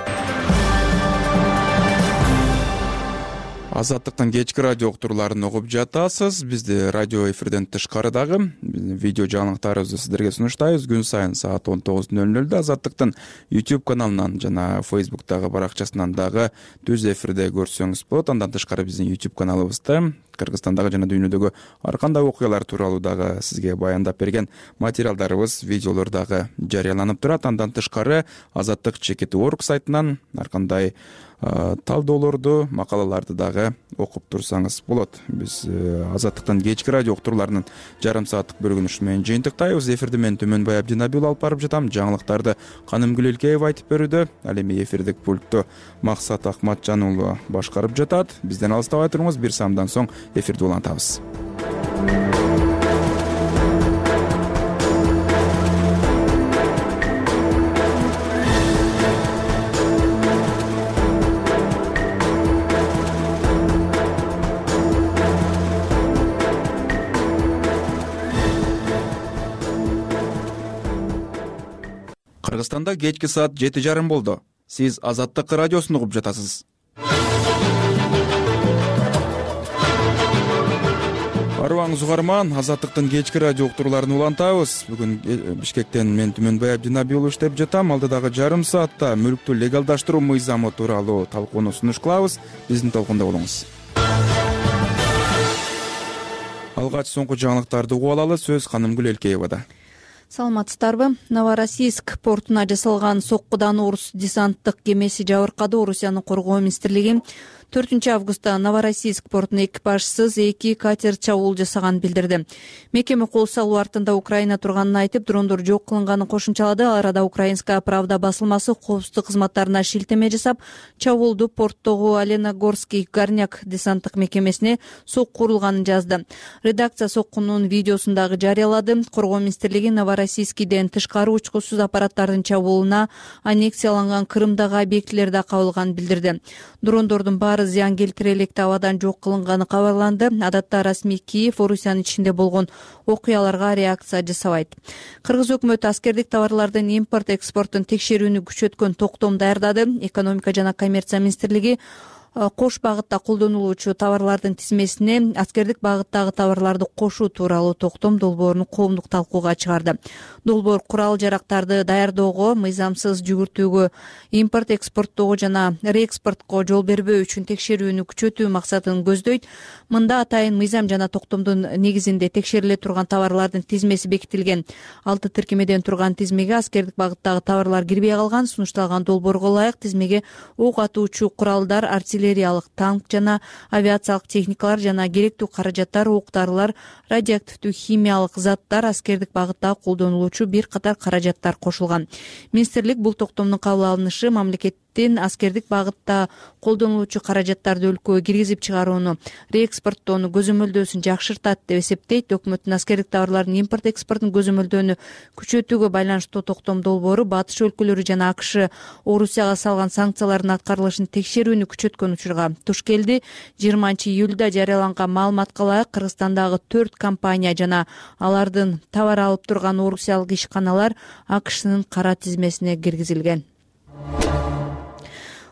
Азаттыктын кечки радио уктурууларын угуп жатасыз. Бизди радио эфирден тышкары дагы видео жаңылыктарыбызды сиздерге сунуштайбыз. Күн сайын саат 19:00 Азаттыктын YouTube каналынан жана Facebook'тагы баракчасынан дагы түз эфирде көрсөңүз болот. Андан тышкары биздин YouTube каналыбызда Кыргызстандагы жана дүйнөдөгү ар кандай окуялар тууралуу дагы сизге баяндап берген материалдарыбыз, видеолор дагы жарыяланып турат. Андан тышкары Азаттык.org сайтынан ар кандай талдоолорду, макалаларды дагы окуп турсаңыз болот. Биз Азаттыктын кечки радио уктурууларынын жарым сааттык бөлүгүн ушу менен жыйынтыктайбыз. Эфирди мен Төмөнбай Абдинабиул алып барып жатам. Жаңылыктарды Канымгүл Элкеева айтып берүүдө. Ал эми эфирдик пультту Максат Акматжан уулу башкарып жатат. Бизден алыстабай туруңуз. Бир самдан соң эфирди улантабыз. Кыргызстанда кечки саат 7:30 болду. Сиз Азаттык радиосун угуп жатасыз. Арыбаңыз угарман, Азаттыктын кечки радио уктурууларын улантабыз. Бүгүн Бишкектен мен Түмөнбай Абдинабиул иштеп жатам. Алдыдагы жарым саатта мүлктү легалдаштыруу мыйзамы тууралуу талкууну сунуш кылабыз. Биздин толкунда болуңуз. Алгач соңку жаңылыктарды угуп алалы. Сөз Канымгүл Элкеевада. Саламатсыздарбы? Новороссийск портуна жасалган соккудан орус десанттык кемеси жабыркады. Орусиянын коргоо министрлиги 4 августта Новороссийск портуна экипажсыз 2 катер чабуул жасаганын билдирди. Мекеме кол салуу артында Украина турганын айтып, дрондор жок кылынганын кошумчалады. Ал арада Украинская правда басылмасы коопсуздук кызматтарына шилтеме жасап, чабуулду порттогу Оленогорский горняк десанттык мекемесине сокку урулганын жазды. Редакция соккунун видеосун дагы жарыялады. Коргоо министрлиги Новороссийскиден тышкары учкусуз аппараттардын чабуулуна аннексияланган Крымдагы объектилерди кабылганын билдирди. Дрондордун баары зыян келтире электе абадан жок кылынганы кабарланды. Адатта расмий Киев Орусиянын ичинде болгон окуяларга реакция жасабайт. Кыргыз өкмөтү аскердик товарлардын импорт экспортун текшерүүнү күчөткөн токтом даярдады. Экономика жана коммерция министрлиги кош багытта колдонулуучу товарлардын тизмесине аскердик багыттагы товарларды кошуу тууралуу токтом долбоорун коомдук талкууга чыгарды. Долбоор курал-жарактарды даярдоого, мыйзамсыз жүгүртүүгө, импорт экспорттоого жана реэкспортко жол бербөө үчүн текшерүүнү күчөтүү максатын көздөйт. Мында атайын мыйзам жана токтомдун негизинде текшериле турган товарлардын тизмеси бекитилген. 6 тиркемеден турган тизмеге аскердик багыттагы товарлар кирбей калган. Сунушталган долбоорго ылайык тизмеге ок атуучу куралдар, артиллериялык танк жана авиациялык техникалар жана керектүү каражаттар, ок-дарылар, радиоактивдүү химиялык заттар, аскердик багытта колдонулуучу бир катар каражаттар кошулган. Министрлик бул токтомдун кабыл алынышы мамлекеттин аскердик багытта колдонулуучу каражаттарды өлкөгө киргизип чыгарууну, реэкспорттоону көзөмөлдөөсүн жакшыртат деп эсептейт. Өкмөттүн аскердик товарлардын импорт экспортун көзөмөлдөөнү күчөтүүгө байланыштуу токтом долбоору батыш өлкөлөрү жана АКШ Орусияга салган санкциялардын аткарылышын текшерүүнү күчөткөн учурга туш келди. 20-июлда жарыяланган маалыматка ылайык Кыргызстандагы 4 компания жана алардын товар алып турган орусиялык ишканалар АКШнын кара тизмесине киргизилген.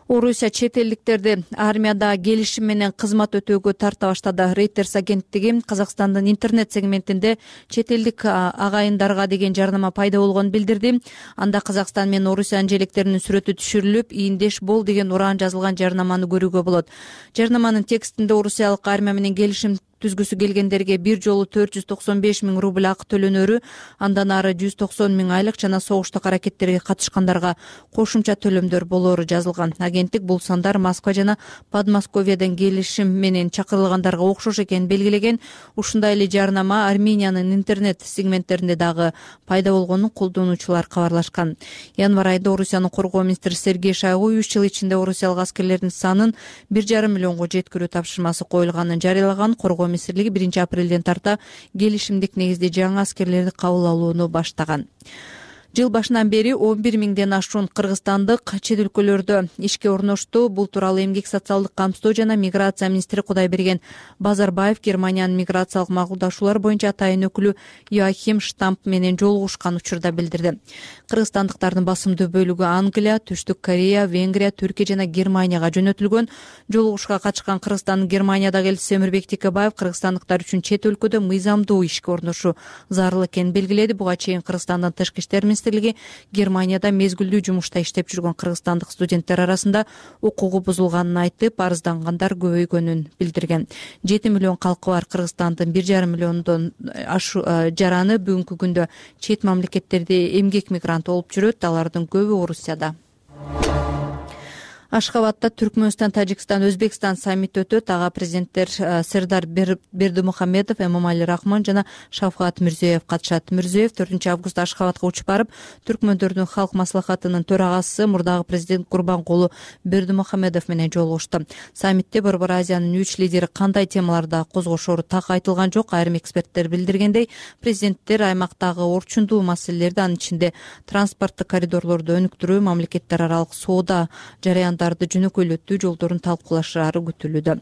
Орусия чет элдиктерди армияда келишим менен кызмат өтөөгө тарта баштады. Reuters агенттиги Казакстандын интернет сегментинде чет элдик агайындарга деген жарнама пайда болгонун билдирди. Анда Казакстан менен Орусиянын желектеринин сүрөтү түшүрүлүп, ийиндеш бол деген уран жазылган жарнаманы көрүүгө болот. Жарнаманын текстинде орусиялык армия менен келишим түзгүсү келгендерге бир жолу 495 000 рубль акы төлөнөрү, андан ары 190 000 айлык жана согуштук аракеттерге катышкандарга кошумча төлөмдөр болоору жазылган. Агенттик бул сандар Москва жана Подмосковьеден келишим менен чакырылгандарга окшош экенин белгилеген. Ушундай эле жарнама Армениянын интернет сегменттеринде дагы пайда болгонун колдонуучулар кабарлашкан. Январь айында Орусиянын коргоо министри Сергей Шойгу 3 жыл ичинде орусиялык аскерлердин санын 1,5 миллионго жеткирүү тапшырмасы коюлганын жарыялаган. Коргоо министрлиги 1 апрелден тарта келишимдик негизде жаңы аскерлерди кабыл алууну баштаган. Жыл башынан бери 11 миңден ашуун кыргызстандык чет өлкөлөрдө ишке орношту. Бул тууралуу Эмгек социалдык камсыздоо жана миграция министри Кудайберген Базарбаев Германиянын миграциялык макулдашуулар боюнча атайын өкүлү Йоахим Штамп менен жолугушкан учурда билдирди. Кыргызстандыктардын басымдуу бөлүгү Англия, Түштүк Корея, Венгрия, Түркия жана Германияга жөнөтүлгөн. Жолугушка катышкан Кыргызстандын Германиядагы элчиси Өмүрбек Текебаев кыргызстандыктар үчүн чет өлкөдө мыйзамдуу ишке орношу зарыл экенин белгиледи. Буга чейин Кыргызстандын тышкы иштер министрлиги Германияда мезгилдүү жумушта иштеп жүргөн кыргызстандык студенттер арасында укугу бузулганын айтып, арыздангандар көбөйгөнүн билдирген. 7 миллион калкы бар Кыргызстандын 1,5 миллиондон жараны бүгүнкү күндө чет мамлекеттерде эмгек мигранты болуп жүрөт. Алардын көбү Орусияда. Ашхабадда Түркмөнстан, Тажикстан, Өзбекстан саммити өтөт. Ага президенттер Сердар Бердимухамедов, Эмомали Рахмон жана Шавкат Мирзиёев катышат. Мирзиёев 4 августта Ашхабадга учуп барып, түркмөндөрдүн халк маслахатынын төрагасы мурдагы президент Курбанкулу Бердимухамедов менен жолугушту. Саммитте Борбор Азиянын 3 лидери кандай темаларда козгошору так айтылган жок. Айрым эксперттер билдиргендей, президенттер аймактагы орчундуу маселелерди, анын ичинде транспорттук коридорлорду өнүктүрүү, мамлекеттер аралык соода жарыяндарды жөнөкөйлөтүү жолдорун талкуулашаары күтүлүүдө.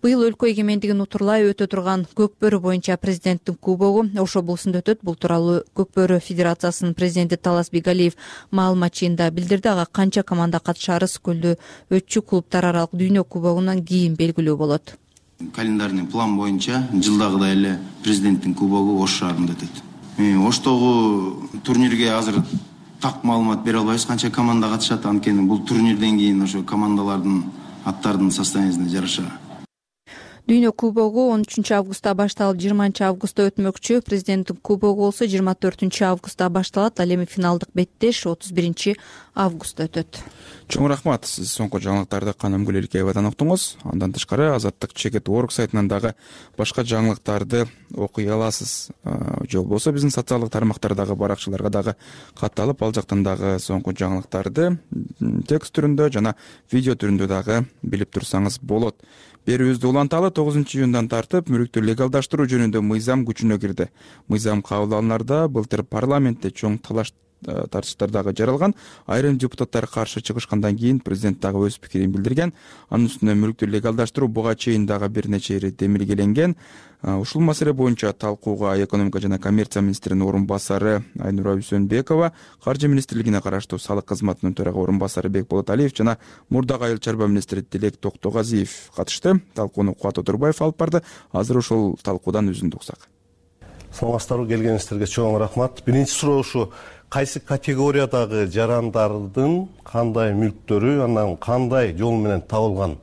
Быйыл өлкө эгемендигин утурлай өтө турган Көкбөрү боюнча президенттин кубогу Ош облусунда өтөт. Бул тууралуу Көкбөрү Федерациясынын президенти Талас Бигалиев маалымат жыйында билдирди. Ага канча команда катышаары Скөлдө өтчү клубтар аралык дүйнө кубогунан кийин белгилүү болот. Календарный план боюнча жылдагыдай эле президенттин кубогу Ош шаарында өтөт. Оштогу турнирге азыр так маалымат бере албайбыз, канча команда катышат. Анткени бул турнирден кийин ошо командалардын аттарынын состояниясына жараша. Дүйнө кубогу 13 августта башталып 20 августта өтмөкчү. Президенттин кубогу болсо 24 августта башталат. Ал эми финалдык беттеш 31 августта өтөт. Чоң рахмат. Сиз соңку жаңылыктарды Каным Гүлелкеевадан уктуңуз. Андан тышкары Азаттык Чекит.org сайтынан дагы башка жаңылыктарды окуй аласыз. Же болбосо биздин социалдык тармактардагы баракчаларга дагы катталып, ал жактан дагы соңку жаңылыктарды текст түрүндө жана видео түрүндө дагы билип турсаңыз болот. Берүүбүздү уланталы 9 июндан тартып мүлүктү легалдаштыруу жөнүндө мыйзам күчүнө кирди. Мыйзам кабыл алынарда былтыр парламентте чоң талаш тартыштар дагы жаралган. Айрым депутаттар каршы чыгышкандан кийин президент дагы өз пикирин билдирген. Анын үстүнө мүлүктү легалдаштыруу буга чейин дагы бир нече ирет демилгеленген. Ушул маселе боюнча талкууга экономика жана коммерция министринин орун басары Айнура Үсөнбекова, каржы министрлигине караштуу салык кызматынын төрага орун басары Бекболот Алиев жана мурдагы айыл чарба министри Тилек Токтогазиев катышты. Талкууну Кубат Отурбаев алып барды. Азыр ушул талкуудан үзүндү уксак. Саламатсыздарбы, келгениңиздерге чоң рахмат. Биринчи суроо ушу: кайсы категориядагы жарандардын кандай мүлктөрү, андан кандай жол менен табылган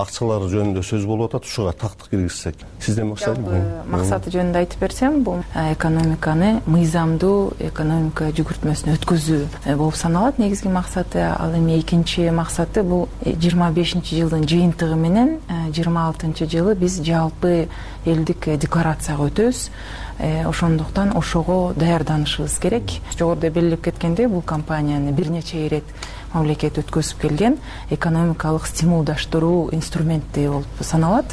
акчалары жөнүндө сөз болуп атат. Ушуга тактык киргизсек. Сиздин максаты жөнүндө айтып берсем, бул экономиканы мыйзамдуу экономика жүгүртмөсүнө өткөзүү болуп саналат. Негизги максаты. Ал эми экинчи максаты бул 25-жылдын жыйынтыгы менен 26-жылы биз жалпы элдик декларацияга өтөбүз. Ошондуктан ошого даярданышыбыз керек. Жогоруда белгилеп кеткендей, бул компанияны бир нече ирет мамлекет өткөзүп келген экономикалык стимулдаштыруу инструменти болуп саналат.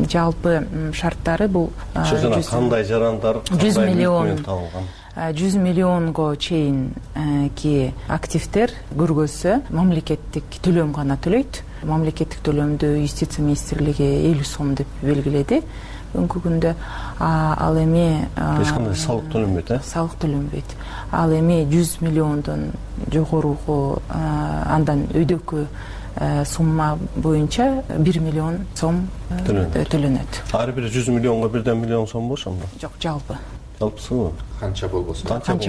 Жалпы шарттары бул кандай жарандар 100 миллионго чейинки активдер көргөзсө мамлекеттик төлөм гана төлөйт. Мамлекеттик төлөмдү юстиция министрлиги 50 сом деп белгиледи бүгүнкү күндө. Ал эми эч кандай салык төлөнбөйт, салык төлөнбөйт. Ал эми 100 миллиондон жогоруку андан өйдөкү сумма боюнча 1 миллион сом төлөнөт. Ар бир 100 миллионго бирден миллион сом болбошу? Жок, жалпы. Жалпысыбы? Канча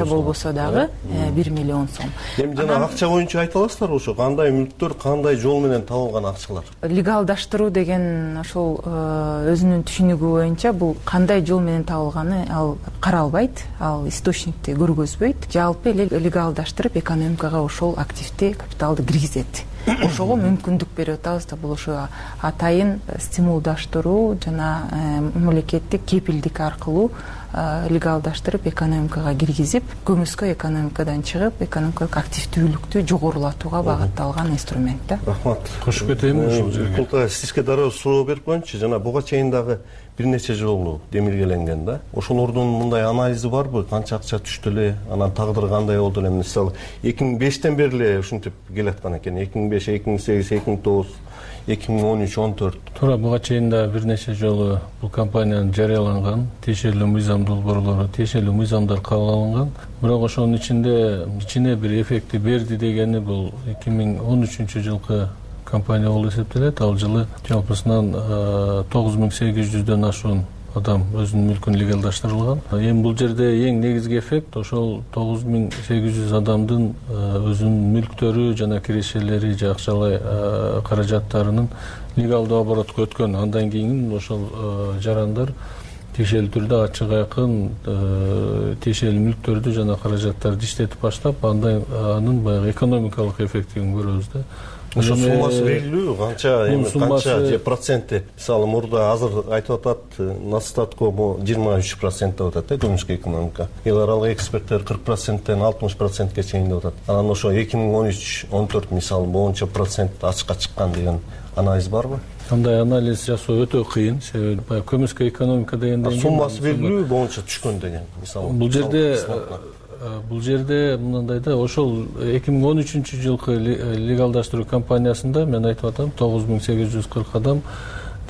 болбосо дагы 1 миллион сом. Эми жана акча боюнча айта аласыздарбы, ошо кандай мүлктөр, кандай жол менен табылган акчалар? Легалдаштыруу деген ошол өзүнүн түшүнүгү боюнча бул кандай жол менен табылганы ал каралбайт, ал источникти көргөзбөйт. Жалпы эле легалдаштырып экономикага ошол активди, капиталды киргизет. Ошого мүмкүндүк берип атабыз да, бул ошо атайын стимулдаштыруу жана мамлекеттик кепилдик аркылуу легалдаштырып экономикага киргизип, көмүскө экономикадан чыгып, экономикалык активдүүлүктү жогорулатууга багытталган инструмент да. Рахмат. Кошуп кетейинби ушул жерге? Сизге дароо суроо берип коеюнчу. Жана буга чейин дагы бир нече жолу демилгеленген да. Ошолордун мындай анализи барбы? Канча акча түштү эле, анан тагдыры кандай болду эле? Мисалы 2005тен бери эле ушинтип келаткан экен. 2005, 2008, 2009, 2013, 14. Туура буга чейин да бир нече жолу бул компаниянын жарыяланган тиешелүү мыйзам долбоорлору, тиешелүү мыйзамдар кабыл алынган. Бирок ошонун ичине бир эффекти берди дегени бул 2013-жылкы компания болуп эсептелет. Ал жылы жалпысынан 9800дөн ашуун адам өзүнүн мүлкүн легалдаштырылган. Эми бул жерде эң негизги эффект ошол 9800 адамдын өзүнүн мүлктөрү жана кирешелери же акчалай каражаттарынын легалдуу оборотко өткөн. Андан кийин ошол жарандар тиешелүү түрдө ачык айкын тиешелүү мүлктөрдү жана каражаттарды иштетип баштап, анын баягы экономикалык эффектин көрөбүз да. Ошо суммасы белгилүү, канча же проценти? Мисалы мурда азыр айтып атат, Настатко 23% деп атат да көмүскө экономика. Эл аралык эксперттер 40%тен 60%ке чейин деп атат. Анан ошо 2013-14 мисалы боюнча процент ачыкка чыккан деген анализ барбы? Кандай анализ жасоо өтө кыйын, себеби баягы көмүскө экономика дегенден кийин суммасы белгилүү боюнча түшкөн деген мисалы. Бул жерде мындай да, ошол 2013-жылкы легалдаштыруу кампаниясында мен айтып атам 9840 адам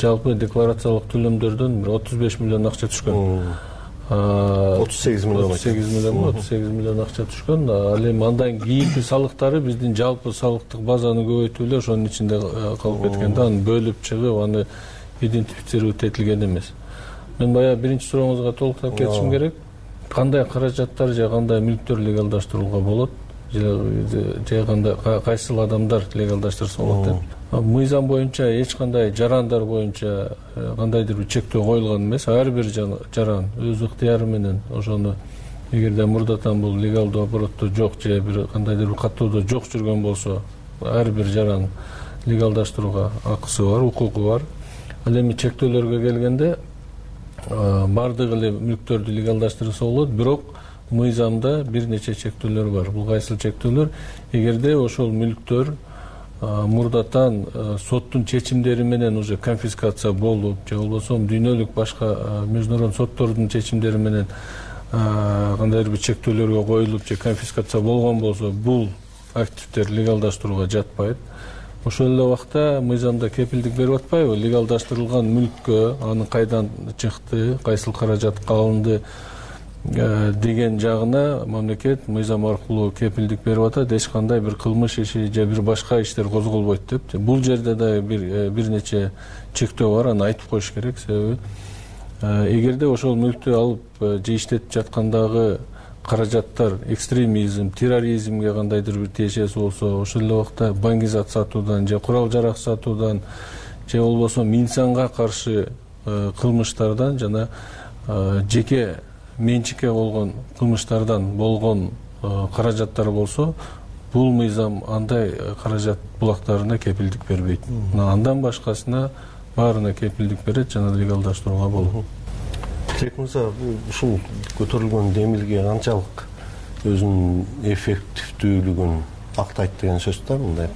жалпы декларациялык төлөмдөрдөн 35 миллион акча түшкөн. 38 миллион акча түшкөн. Ал эми андан кийинки салыктары биздин жалпы салыктык базаны көбөйтүү эле ошонун ичинде калып кеткен да, аны бөлүп чыгып, аны идентифицировать этилген эмес. Мен баягы биринчи сурооңузга толуктап кетишим керек. Кандай каражаттар же кандай мүлктөр легалдаштырууга болот, же кандай кайсыл адамдар легалдаштырса болот деп. Мыйзам боюнча эч кандай жарандар боюнча кандайдыр бир чектөө коюлган эмес. Ар бир жаран өз ыктыяры менен ошону эгерде мурдатан бул легалдуу оборотто жок же бир кандайдыр бир каттоодо жок жүргөн болсо, ар бир жаран легалдаштырууга акысы бар, укугу бар. Ал эми чектөөлөргө келгенде бардыгы эле мүлктөрдү легалдаштырса болот, бирок мыйзамда бир нече чектөөлөр бар. Бул кайсыл чектөөлөр? Эгерде ошол мүлктөр мурдатан соттун чечимдери менен уже конфискация болуп, же болбосо дүйнөлүк башка международный соттордун чечимдери менен кандайдыр бир чектөөлөргө коюлуп же конфискация болгон болсо, бул активдер легалдаштырууга жатпайт. Ошол эле убакта мыйзамда кепилдик берип атпайбы? Легалдаштырылган мүлккө анын кайдан чыкты, кайсыл каражатка алынды деген жагына мамлекет мыйзам аркылуу кепилдик берип атат. Эч кандай бир кылмыш иши же бир башка иштер козголбойт деп. Бул жерде да бир нече чектөө бар, аны айтып коюш керек. Себеби эгерде ошол мүлктү алып же иштетип жаткандагы каражаттар экстремизм, терроризмге кандайдыр бир тиешеси болсо, ошол эле убакта баңгизат сатуудан же курал жарак сатуудан же болбосо инсанга каршы кылмыштардан жана жеке менчикке болгон кылмыштардан болгон каражаттар болсо, бул мыйзам андай каражат булактарына кепилдик бербейт. Андан башкасына баарына кепилдик берет жана легалдаштырууга болот. Мырза, ушул көтөрүлгөн демилге канчалык өзүнүн эффективдүүлүгүн актайт деген сөз да, мындай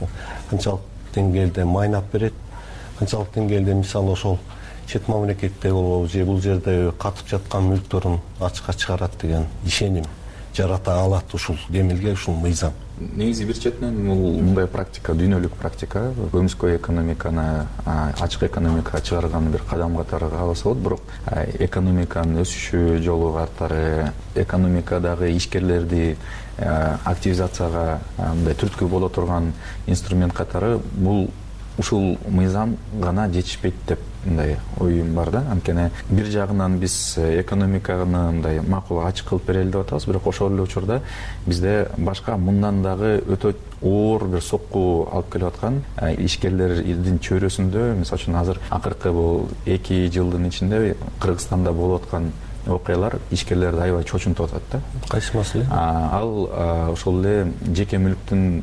канчалык деңгээлде майнап берет, канчалык деңгээлде мисалы ошол чет мамлекетте болобу же бул жерде катып жаткан мүлктөрүн ачыкка чыгарат деген ишеним жарата алат ушул демилге, ушул мыйзам. Негизи бир четинен бул мындай практика, дүйнөлүк практика, көмүскө экономиканы ачык экономикага чыгарган бир кадам катары каралса болот. Бирок экономиканын өсүшү жолу катары, экономикадагы ишкерлерди активизацияга мындай түрткү боло турган инструмент катары бул ушул мыйзам гана жетишпейт деп мындай оюм бар да. Анткени бир жагынан биз экономиканы мындай макул ачык кылып берели деп атабыз, бирок ошол эле учурда бизде башка мындан дагы өтө оор бир сокку алып келип аткан ишкерлердин чөйрөсүндө, мисалы үчүн азыр акыркы бул 2 жылдын ичинде Кыргызстанда болуп аткан окуялар ишкерлерди аябай чочунтуп атат да. Кайсы маселе? Ал ошол эле жеке мүлктүн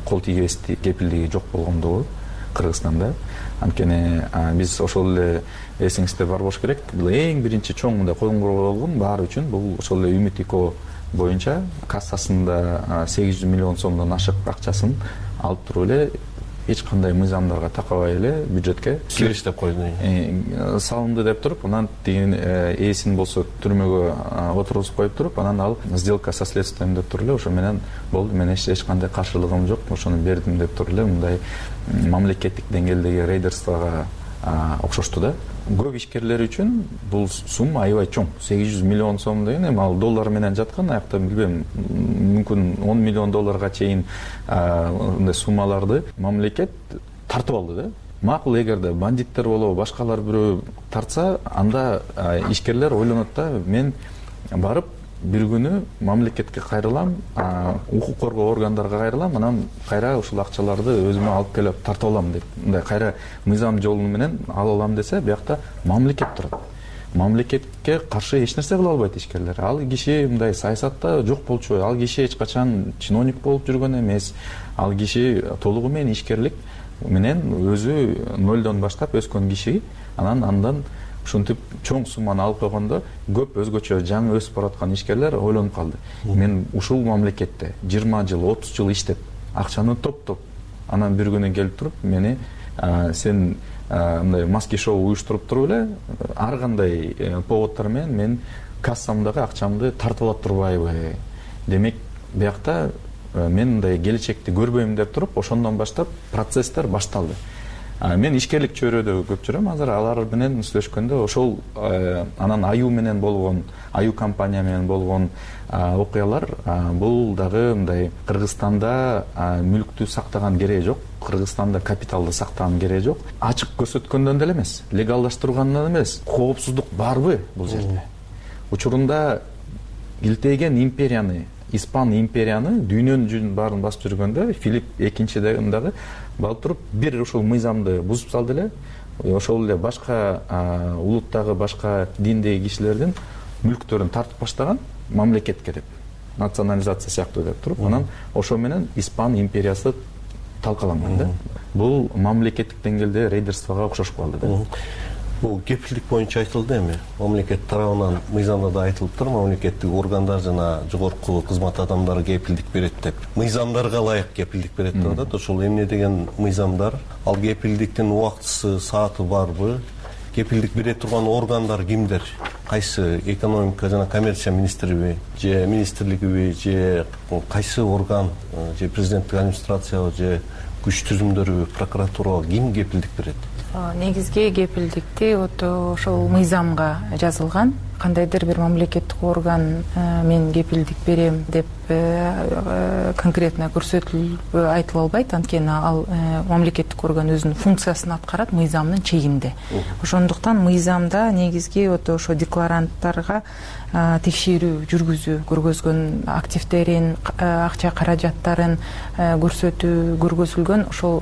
кол тийбестик кепилдиги жок болгондугу Кыргызстанда. Анткени биз ошол эле эсиңизде бар болуш керек. Бул эң биринчи чоң мындай коңгуроо баары үчүн бул ошол эле Үмүт-2 боюнча кассасында 800 миллион сомдон ашык акчасын алып туруп эле эч кандай мыйзамдарга такабай эле бюджетке кириш деп койду, салынды деп туруп, анан тигин ээсин болсо түрмөгө отургузуп коюп туруп, анан ал сделка со следствием деп туруп эле ошо менен болду, мен эч кандай каршылыгым жок, ошону бердим деп туруп эле мындай мамлекеттик деңгээлдеги рейдерствого окшошту да. Көп ишкерлер үчүн бул сумма аябай чоң. 800 миллион сом деген эми ал доллар менен жаткан, аякта билбейм, мүмкүн 10 миллион долларга чейин мындай суммаларды мамлекет тартып алды да. Макул, эгерде бандиттер болобу, башкалар бирөө тартса, анда ишкерлер ойлонот да, мен барып бир күнү мамлекетке кайрылам, укук коргоо органдарга кайрылам, анан кайра ушул акчаларды өзүмө алып келип тартып алам деп, мындай кайра мыйзам жолу менен ала алам десе, биякта мамлекет турат. Мамлекетке каршы эч нерсе кыла албайт ишкерлер. Ал киши мындай саясатта жок болчу, ал киши эч качан чиновник болуп жүргөн эмес, ал киши толугу менен ишкерлик менен өзү нолдон баштап өскөн киши, андан ушинтип чоң сумманы алып койгондо көп өзгөчө жаңы өсүп бараткан ишкерлер ойлонуп калды. Мен ушул мамлекетте 20 жыл, 30 жыл иштеп, акчаны топтоп, анан бир күнү келип туруп, мени сен мындай маски шоу уюштуруп туруп эле, ар кандай поводдор менен мен кассамдагы акчамды тартып алып турбайбы? Демек, биякта мен мындай келечекти көрбөйм деп туруп, ошондон баштап процесстер башталды. Мен ишкерлик чөйрөдө көп жүрөм, азыр алар менен сүйлөшкөндө ошол анан аю менен болгон, аю компания менен болгон окуялар, бул дагы мындай Кыргызстанда мүлктү сактаган кереги жок, Кыргызстанда капиталды сактаган кереги жок. Ачык көрсөткөндөн деле эмес, легалдаштыргандан эмес, коопсуздук барбы бул жерде? Учурунда илтейген империяны, Испан империяны, дүйнөнүн жүзүн баарын басып жүргөндө Филипп экинчиден дагы балып туруп бир ушул мыйзамды бузуп салды эле. Ошол эле башка улуттагы, башка диндеги кишилердин мүлктөрүн тартып баштаган мамлекетке деп, национализация сыяктуу деп туруп, анан ошо менен Испан империясы талкаланган да. Бул мамлекеттик деңгээлде рейдерствого окшошуп калды да. Бул кепилдик боюнча айтылды эми. Мамлекет тарабынан мыйзамда да айтылыптыр, мамлекеттик органдар жана жогорку кызмат адамдары кепилдик берет деп. Мыйзамдарга ылайык кепилдик берет деп атат. Ошол эмне деген мыйзамдар? Ал кепилдиктин убактысы, сааты барбы? Кепилдик бере турган органдар кимдер? Кайсы экономика жана коммерция министриби, же министрлигиби, же кайсы орган, же президенттик администрациябы, же күч түзүмдөрүбү, прокуратурабы, ким кепилдик берет? Негизги кепилдикти ошол мыйзамга жазылган. Кандайдыр бир мамлекеттик орган мен кепилдик берем деп конкретно көрсөтүлүп айтылып албайт, анткени ал мамлекеттик орган өзүнүн функциясын аткарат мыйзамдын чегинде. Ошондуктан мыйзамда негизги ошо декларанттарга текшерүү көргөзгөн активдерин, акча каражаттарын көргөзүлгөн ошол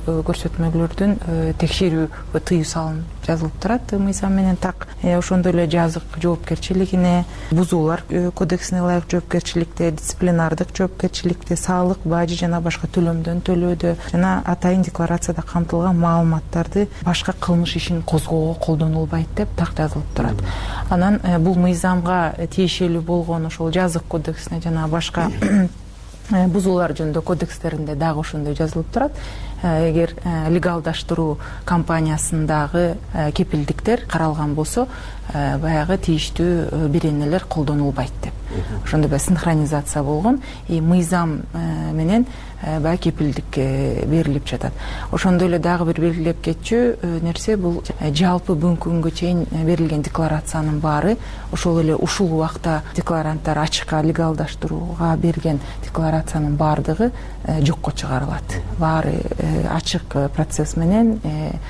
көрсөтмөлөрдүн текшерүү тыюу салынып жазылып турат мыйзам менен так. Ошондой эле жазык жоопкерчилигине, бузуулар кодексине ылайык жоопкерчиликте, дисциплинардык жоопкерчиликте, салык, бажы жана башка төлөмдөн төлөөдө жана атайын декларацияда камтылган маалыматтарды башка кылмыш ишин козгоого колдонулбайт деп так жазылып турат. Анан бул мыйзамга тиешелүү болгон ошол жазык кодексине жана башка бузуулар жөнүндө кодекстеринде дагы ошондой жазылып турат. Эгер легалдаштыруу компаниясындагы кепилдиктер каралган болсо, баягы тийиштүү беренелер колдонулбайт деп. Ошондой синхронизация болгон, мыйзам менен баягы кепилдик берилип жатат. Ошондой эле дагы бир белгилеп кетчү нерсе бул жалпы бүгүнкү күнгө чейин берилген декларациянын баары, ошол эле ушул убакта декларанттар ачыкка легалдаштырууга берген декларациянын баардыгы жокко чыгарылат. Баары ачык процесс менен,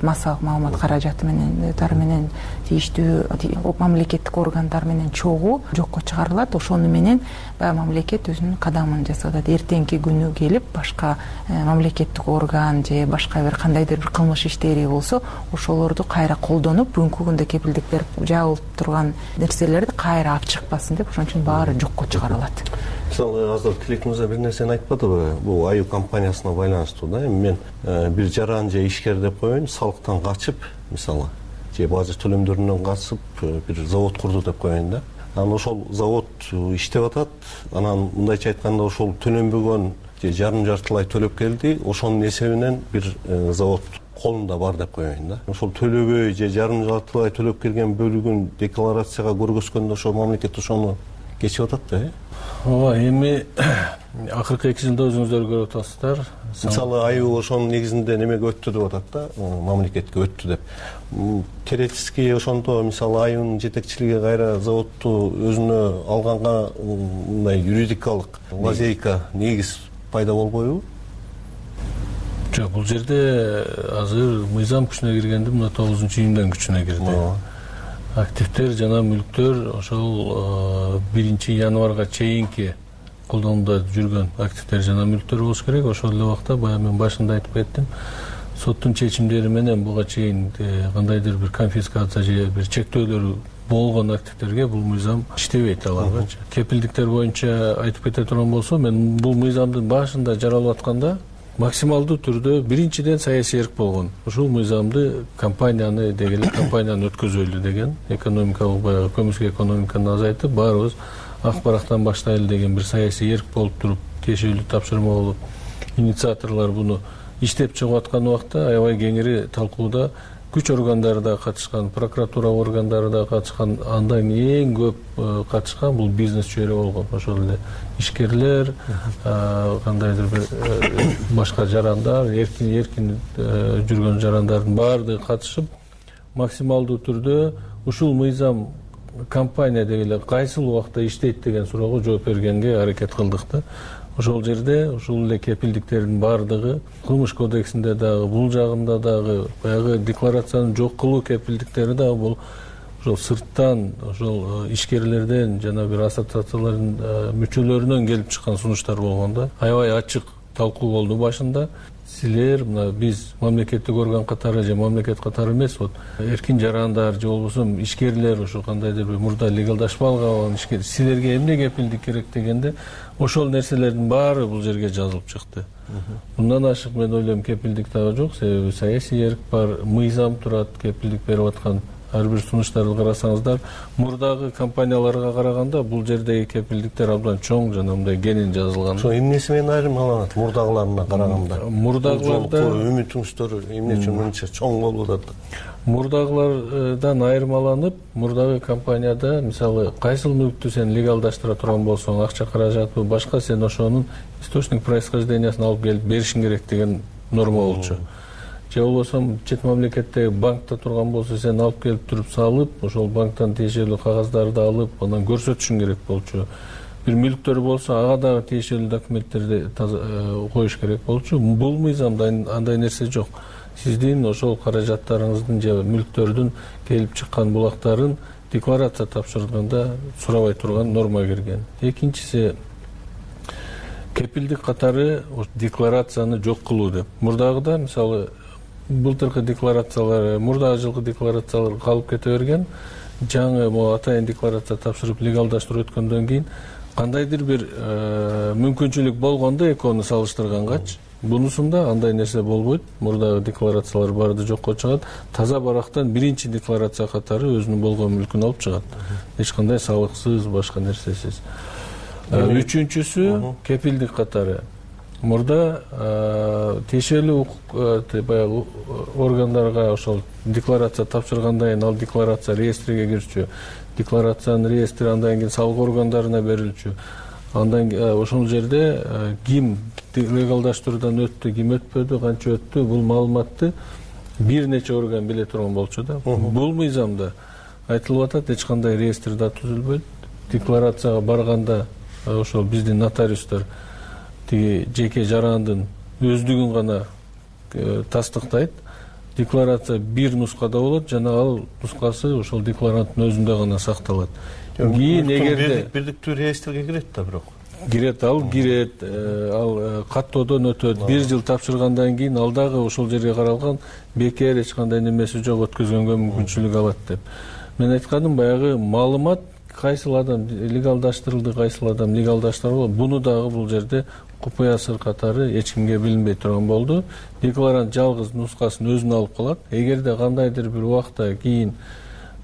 массалык маалымат каражаты менен тийиштүү мамлекеттик органдар менен чогуу жокко чыгарылат. Ошону менен баягы мамлекет өзүнүн кадамын жасап, эртеңки күнү келип башка мамлекеттик орган же башка бир кандайдыр бир кылмыш иштери болсо, ошолорду кайра колдонуп, бүгүнкү күндө кепилдик берип жабылып турган нерселерди кайра алып чыкпасын деп, ошон үчүн баары жокко чыгарылат. Мисалы, азыр Тилек мырза бир нерсени айтпадыбы? Бул аю компаниясына байланыштуу да. Мен бир жаран же ишкер деп коеюн, салыктан качып, мисалы, же бажы төлөмдөрүнөн качып бир завод курду деп коеюн да. Анан ошол завод иштеп атат. Анан мындайча айтканда ошол төлөнбөгөн же жарым жартылай төлөп келди, ошонун эсебинен бир завод колунда бар деп коеюн да. Ошол төлөбөй же жарым жартылай төлөп келген бөлүгүн декларацияга көргөзгөндө ошо мамлекет ошону кечип атат да. Ооба, эми акыркы 2 жылда өзүңүздөр көрүп атасыздар. Мисалы айыл ошонун негизинде немеге өттү деп атат да, мамлекетке өттү деп. Теоретически ошондо мисалы айылдын жетекчилиги кайра заводду өзүнө алганга мындай юридикалык лазейка негиз пайда болбойбу? Жок, бул жерде азыр мыйзам күчүнө киргенде мына 9-июндан күчүнө кирди. Активдер жана мүлктөр ошол 1-январга чейинки колдонууда жүргөн активдер жана мүлктөр болуш керек. Ошол эле убакта баягы мен башында айтып кеттим, соттун чечимдери менен буга чейин кандайдыр бир конфискация же бир чектөөлөр болгон активдерге бул мыйзам иштебейт аларгачы. Кепилдиктер боюнча айтып кете турган болсом, мен бул мыйзамдын башында жаралып атканда максималдуу түрдө биринчиден саясий эрк болгон. Ушул мыйзамды компанияны дегеле компанияны өткөзөлү деген, экономикалык баягы көмүскө экономиканы азайтып, баарыбыз ак барактан баштайлы деген бир саясий эрк болуп туруп, тиешелүү тапшырма болуп, инициаторлор буну иштеп чыгып аткан убакта аябай кеңири талкууда күч органдары да катышкан, прокуратура органдары да катышкан, андан эң көп катышкан бул бизнес чөйрө болгон. Ошол эле ишкерлер, кандайдыр бир башка жарандар, эркин жүргөн жарандардын баардыгы катышып, максималдуу түрдө ушул мыйзам компания дегеле кайсыл убакта иштейт деген суроого жооп бергенге аракет кылдык да. Ошол жерде ушул эле кепилдиктердин баардыгы кылмыш кодексинде дагы, бул жагында дагы баягы декларацияны жок кылуу кепилдиктери дагы бул ошол сырттан, ошол ишкерлерден жана бир ассоциациялардын мүчөлөрүнөн келип чыккан сунуштар болгон да. Аябай ачык талкуу болду башында. Силер мына биз мамлекеттик орган катары же мамлекет катары эмес, вот эркин жарандар же болбосо ишкерлер ошо кандайдыр бир мурда легалдашпай калган ишкер силерге эмне кепилдик керек дегенде ошол нерселердин баары бул жерге жазылып чыкты. Мындан ашык мен ойлойм кепилдик дагы жок, себеби саясий эрк бар, мыйзам турат, кепилдик берип аткан ар бир сунуштарды карасаңыздар, мурдагы компанияларга караганда бул жердеги кепилдиктер абдан чоң жана мындай кенен жазылган. Ошо эмнеси менен айырмаланат мурдагыларына караганда? Мурдагыларда үмүтүңүздөр эмне үчүн мынча чоң болуп атат? Мурдагылардан айырмаланып, мурдагы компанияда мисалы кайсыл мүлктү сен легалдаштыра турган болсоң, акча каражатпы, башка сен ошонун источник происхождениясын алып келип беришиң керек деген норма болчу. Же болбосо чет мамлекеттеги банкта турган болсо сен алып келип туруп салып, ошол банктан тиешелүү кагаздарды алып, анан көрсөтүшүң керек болчу. Бир мүлктөр болсо ага дагы тиешелүү документтерди коюш керек болчу. Бул мыйзамда андай нерсе жок. Сиздин ошол каражаттарыңыздын же мүлктөрдүн келип чыккан булактарын декларация тапшырганда сурабай турган норма кирген. Экинчиси кепилдик катары декларацияны жок кылуу деп. Мурдагыда мисалы былтыркы декларациялар, мурдагы жылкы декларациялар калып кете берген. Жаңы атайын декларация тапшырып легалдаштырып өткөндөн кийин кандайдыр бир мүмкүнчүлүк болгондо экөөнү салыштыргангачы бунусунда андай нерсе болбойт. Мурдагы декларациялар баарды жокко чыгат. Таза барактан биринчи декларация катары өзүнүн болгон мүлкүн алып чыгат. Эч кандай салыксыз, башка нерсесиз. Үчүнчүсү кепилдик катары. Мурда тиешелүү баягы органдарга ошол декларация тапшыргандан кийин ал декларация реестриге кирчү. Декларациянын реестри андан кийин салык органдарына берилчү. Андан ошол жерде ким легалдаштыруудан өттү, ким өтпөдү, канча өттү, бул маалыматты бир нече орган биле турган болчу да. Бул мыйзамда айтылып атат, эч кандай реестр да түзүлбөйт. Декларацияга барганда ошол биздин нотариустар тиги жеке жарандын өздүгүн гана тастыктайт. Декларация бир нускада болот жана ал нускасы ошол декларанттын өзүндө гана сакталат. Кийин эгерде бирдиктүү реестрге кирет да бирок. Кирет, ал каттоодон өтөт. 1 жыл тапшыргандан кийин ал дагы ошол жерге каралган бекер эч кандай немеси жок өткөзгөнгө мүмкүнчүлүк алат деп. Мен айтканым баягы маалымат кайсыл адам легалдаштырылды, кайсыл адам легалдаштырылбады. Буну дагы бул жерде купуя сыр катары эч кимге билинбей турган болду. Декларант жалгыз нускасын өзүнө алып калат. Эгерде кандайдыр бир убакта кийин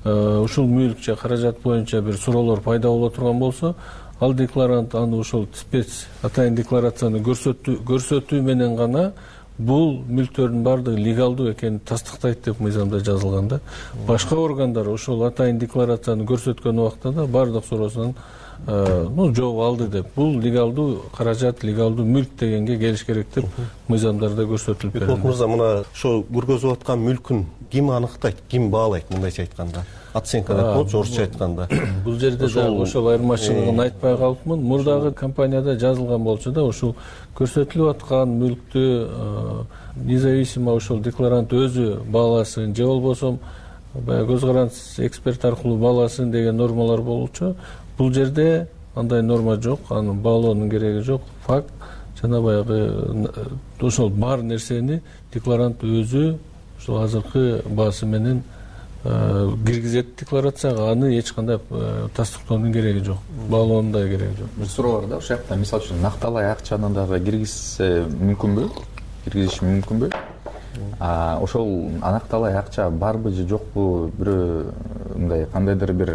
ушул мүлк же каражат боюнча бир суроолор пайда боло турган болсо, ал декларант аны ошол спец атайын декларацияны көрсөтүү менен гана бул мүлктөрдүн баардыгы легалдуу экенин тастыктайт деп мыйзамда жазылган да. Башка органдар ошол атайын декларацияны көрсөткөн убакта да баардык суроосунан жооп алды деп, бул легалдуу каражат, легалдуу мүлк дегенге келиш керек деп мыйзамдарда көрсөтүлүп берилди. Бекмолот мырза, мына ошо көргөзүп аткан мүлкүн ким аныктайт, ким баалайт, мындайча айтканда? Оценка деп болчу орусча айтканда. Бул жерде да ошол айырмачылыгын айтпай калыпмын. Мурдагы компанияда жазылган болчу да, ушул көрсөтүлүп аткан мүлктү независимо ошол декларант өзү бааласын же болбосо баягы көз карандысыз эксперт аркылуу бааласын деген нормалар болчу. Бул жерде андай норма жок, аны баалоонун кереги жок. Факт жана баягы ошол бар нерсени декларант өзү ошол азыркы баасы менен киргизет декларацияга, аны эч кандай тастыктоонун кереги жок, баалоонун да кереги жок. Бир суроо бар да, ошол жакта мисалы үчүн накталай акчаны дагы киргизсе мүмкүнбү? Киргизиш мүмкүнбү? Ошол накталай акча барбы же жокпу, бирөө мындай кандайдыр бир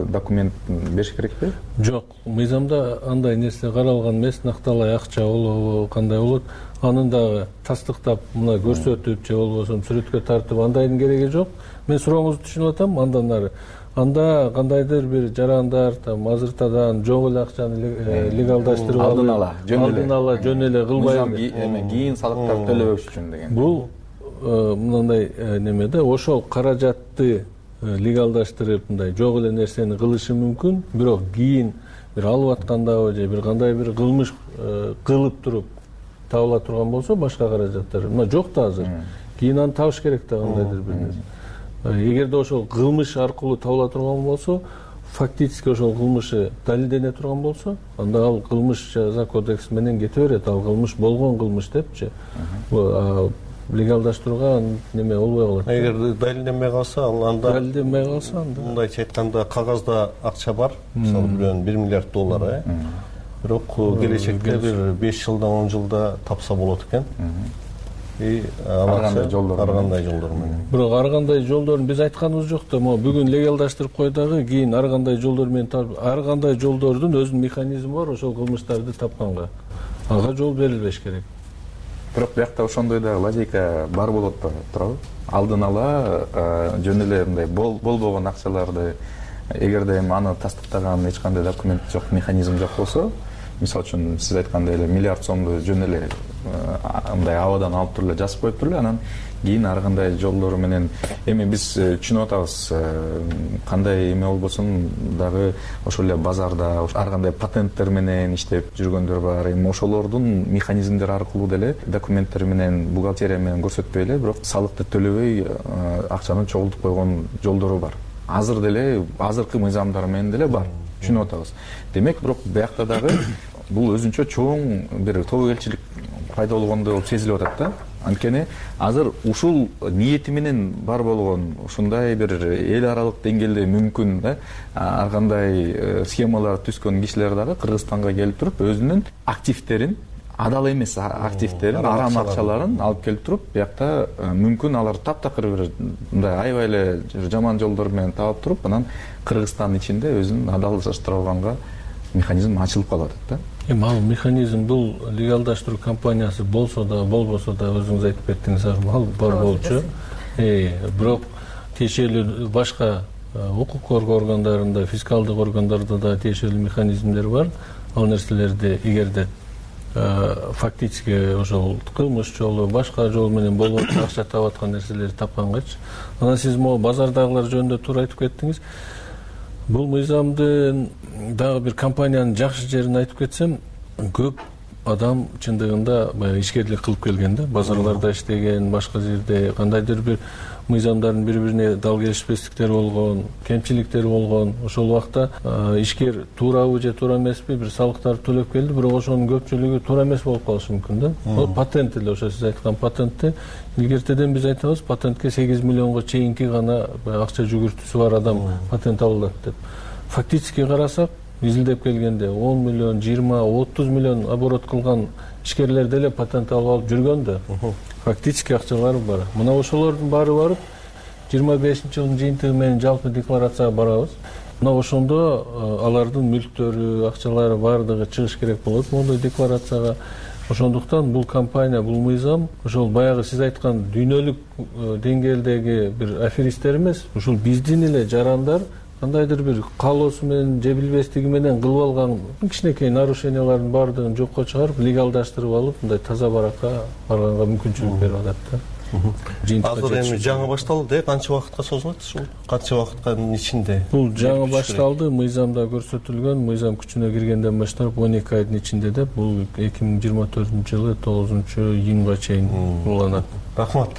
документ бериш керекпи? Жок, мыйзамда андай нерсе каралган эмес. Накталай акча болобу, кандай болот, анын дагы тастыктап мына көрсөтүп же болбосо сүрөткө тартып андайдын кереги жок. Мен сурооңузду түшүнүп атам. Андан ары анда кандайдыр бир жарандар азыртадан жок эле акчаны легалдаштырып алдын ала жөн эле кылбай кийин салыктар төлөбөш үчүн деген. Бул мындай немеде ошол каражатты легалдаштырып мындай жок эле нерсени кылышы мүмкүн, бирок кийин бир алып аткандабы же бир кандай бир кылмыш кылып туруп табыла турган болсо башка каражаттар мына жок да азыр, кийин аны табыш керек да кандайдыр бир нерсе. Эгерде ошол кылмыш аркылуу табыла турган болсо, фактически ошол кылмышы далилдене турган болсо, анда ал кылмыш жаза кодекси менен кете берет, ал кылмыш болгон кылмыш депчи. Легалдаштырууга неме болбой калат. Эгер далилденбей калса, анда мындайча айтканда кагазда акча бар, мисалы бирөөнүн $1 миллиард, бирок келечекте бир 5 жылда 10 жылда тапса болот экен. Ар кандай жолдор менен. Бирок ар кандай жолдорун биз айтканыбыз жок да, могу бүгүн легалдаштырып кой дагы, кийин ар кандай жолдор менен ар кандай жолдордун өзүнүн механизми бар ошол кылмыштарды тапканга. Ага жол берилбеш керек. Бирок биякта ошондой да логика бар болот турабы? Алдын ала жөн эле мындай болбогон акчаларды эгерде эми аны тастыктаган эч кандай документ жок, механизм жок болсо, мисалы үчүн сиз айткандай эле миллиард сомду жөн эле мындай абадан алып туруп эле жазып коюп туруп эле анан кийин ар кандай жолдору менен эми биз түшүнүп атабыз, кандай эме болбосун дагы ошол эле базарда ар кандай патенттер менен иштеп жүргөндөр бар. Эми ошолордун механизмдери аркылуу деле документтер менен бухгалтерия менен көрсөтпөй эле, бирок салыкты төлөбөй акчаны чогултуп койгон жолдору бар. Азыр деле азыркы мыйзамдар менен деле бар, түшүнүп атабыз. Демек, бирок биякта дагы бул өзүнчө чоң бир тобокелчилик пайда болгондой болуп сезилип атат да. Анткени азыр ушул ниети менен бар болгон ушундай бир эл аралык деңгээлде мүмкүн да ар кандай схемалар түзгөн кишилер дагы Кыргызстанга келип туруп өзүнүн активдерин, адал эмес активдерин, арам акчаларын алып келип туруп, биякта мүмкүн алар таптакыр бир мындай аябай эле жаман жолдор менен таап туруп, анан Кыргызстан ичинде өзүн адалдаштыра алганга механизм ачылып калып атат да. Эми ал механизм бул легалдаштыруу компаниясы болсо да болбосо да өзүңүз айтып кеттиңиз, ал бар болчу. Бирок тиешелүү башка укук коргоо органдарында, фискалдык органдарда да тиешелүү механизмдер бар. Ал нерселерди эгерде фактически ошол кылмыш жолу, башка жол менен болгон акча таап аткан нерселерди тапкангачы. Анан сиз могу базардагылар жөнүндө туура айтып кеттиңиз. Бул мыйзамдын дагы бир компаниянын жакшы жерин айтып кетсем, көп адам чындыгында баягы ишкерлик кылып келген да, базарларда иштеген, башка жерде кандайдыр бир мыйзамдардын бири-бирине дал келишпестиктери болгон, кемчиликтери болгон. Ошол убакта ишкер туурабы же туура эмеспи бир салыктарды төлөп келди, бирок ошонун көпчүлүгү туура эмес болуп калышы мүмкүн да. Ал патент эле, ошо сиз айткан патентти илгертеден биз айтабыз, патентке 8 миллионго чейинки гана акча жүгүртүүсү бар адам патент ала алат деп. Фактически карасак, изилдеп келгенде 10 миллион, 20, 30 миллион оборот кылган ишкерлер деле патент алып жүргөн да. Фактически акчалары бар. Мына ошолордун баары барып 25-жылдын жыйынтыгы менен жалпы декларацияга барабыз. мына ошондо алардын мүлктөрү, акчалары баардыгы чыгыш керек болот мондой декларацияга. Ошондуктан бул компания, бул мыйзам ошол баягы сиз айткан дүйнөлүк деңгээлдеги бир аферисттер эмес, ушул биздин эле жарандар кандайдыр бир каалоосу менен же билбестиги менен кылып алган кичинекей нарушениялардын баардыгын жокко чыгарып, легалдаштырып алып, мындай таза баракка барганга мүмкүнчүлүк берип атат да. Азыр эми жаңы башталды, канча убакытка созулат ушул? Канча убакыттын ичинде? Бул жаңы башталды, мыйзамда көрсөтүлгөн, мыйзам күчүнө киргенден баштап 12 айдын ичинде деп, бул 2024-жылы 9-июнга чейин уланат. Рахмат.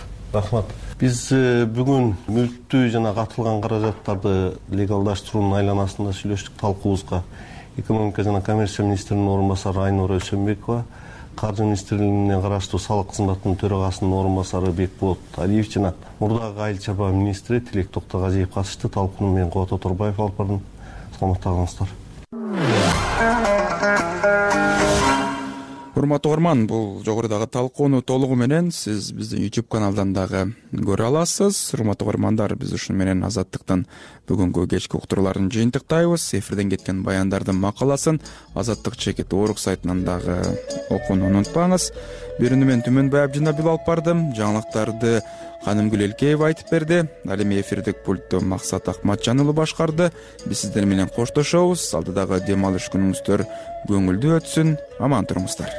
Биз бүгүн мүлктүү жана катылган каражаттарды легалдаштыруунун айланасында сүйлөштүк. Талкуубузга экономика жана коммерция министринин орун басары Айнура Өсөнбекова, Каржы министрлигине караштуу салык кызматынын төрагасынын орун басары Бекболот Алиев жана мурдагы айыл чарба министри Тилек Токтогазиев катышты. Талкууну мен Кубат Оторбаев алып бардым. Саламатта калыңыздар. Урматтуу угарман, бул жогорудагы талкууну толугу менен сиз биздин YouTube каналдан дагы көрө аласыз. Урматтуу угармандар, биз ушуну менен Азаттыктын бүгүнкү кечки уктурууларын жыйынтыктайбыз. Эфирден кеткен баяндардын макаласын Азаттык чекит орг сайтынан дагы окууну унутпаңыз. Берүүнү мен Түмөнбай Абжинабил алып бардым. Жаңылыктарды Канымгүл Элкеева айтып берди. Ал эми эфирдик пультту Максат Акматжан уулу башкарды. Биз сиздер менен коштошобуз. Алдыдагы дем алыш күнүңүздөр көңүлдүү өтсүн. Аман туруңуздар.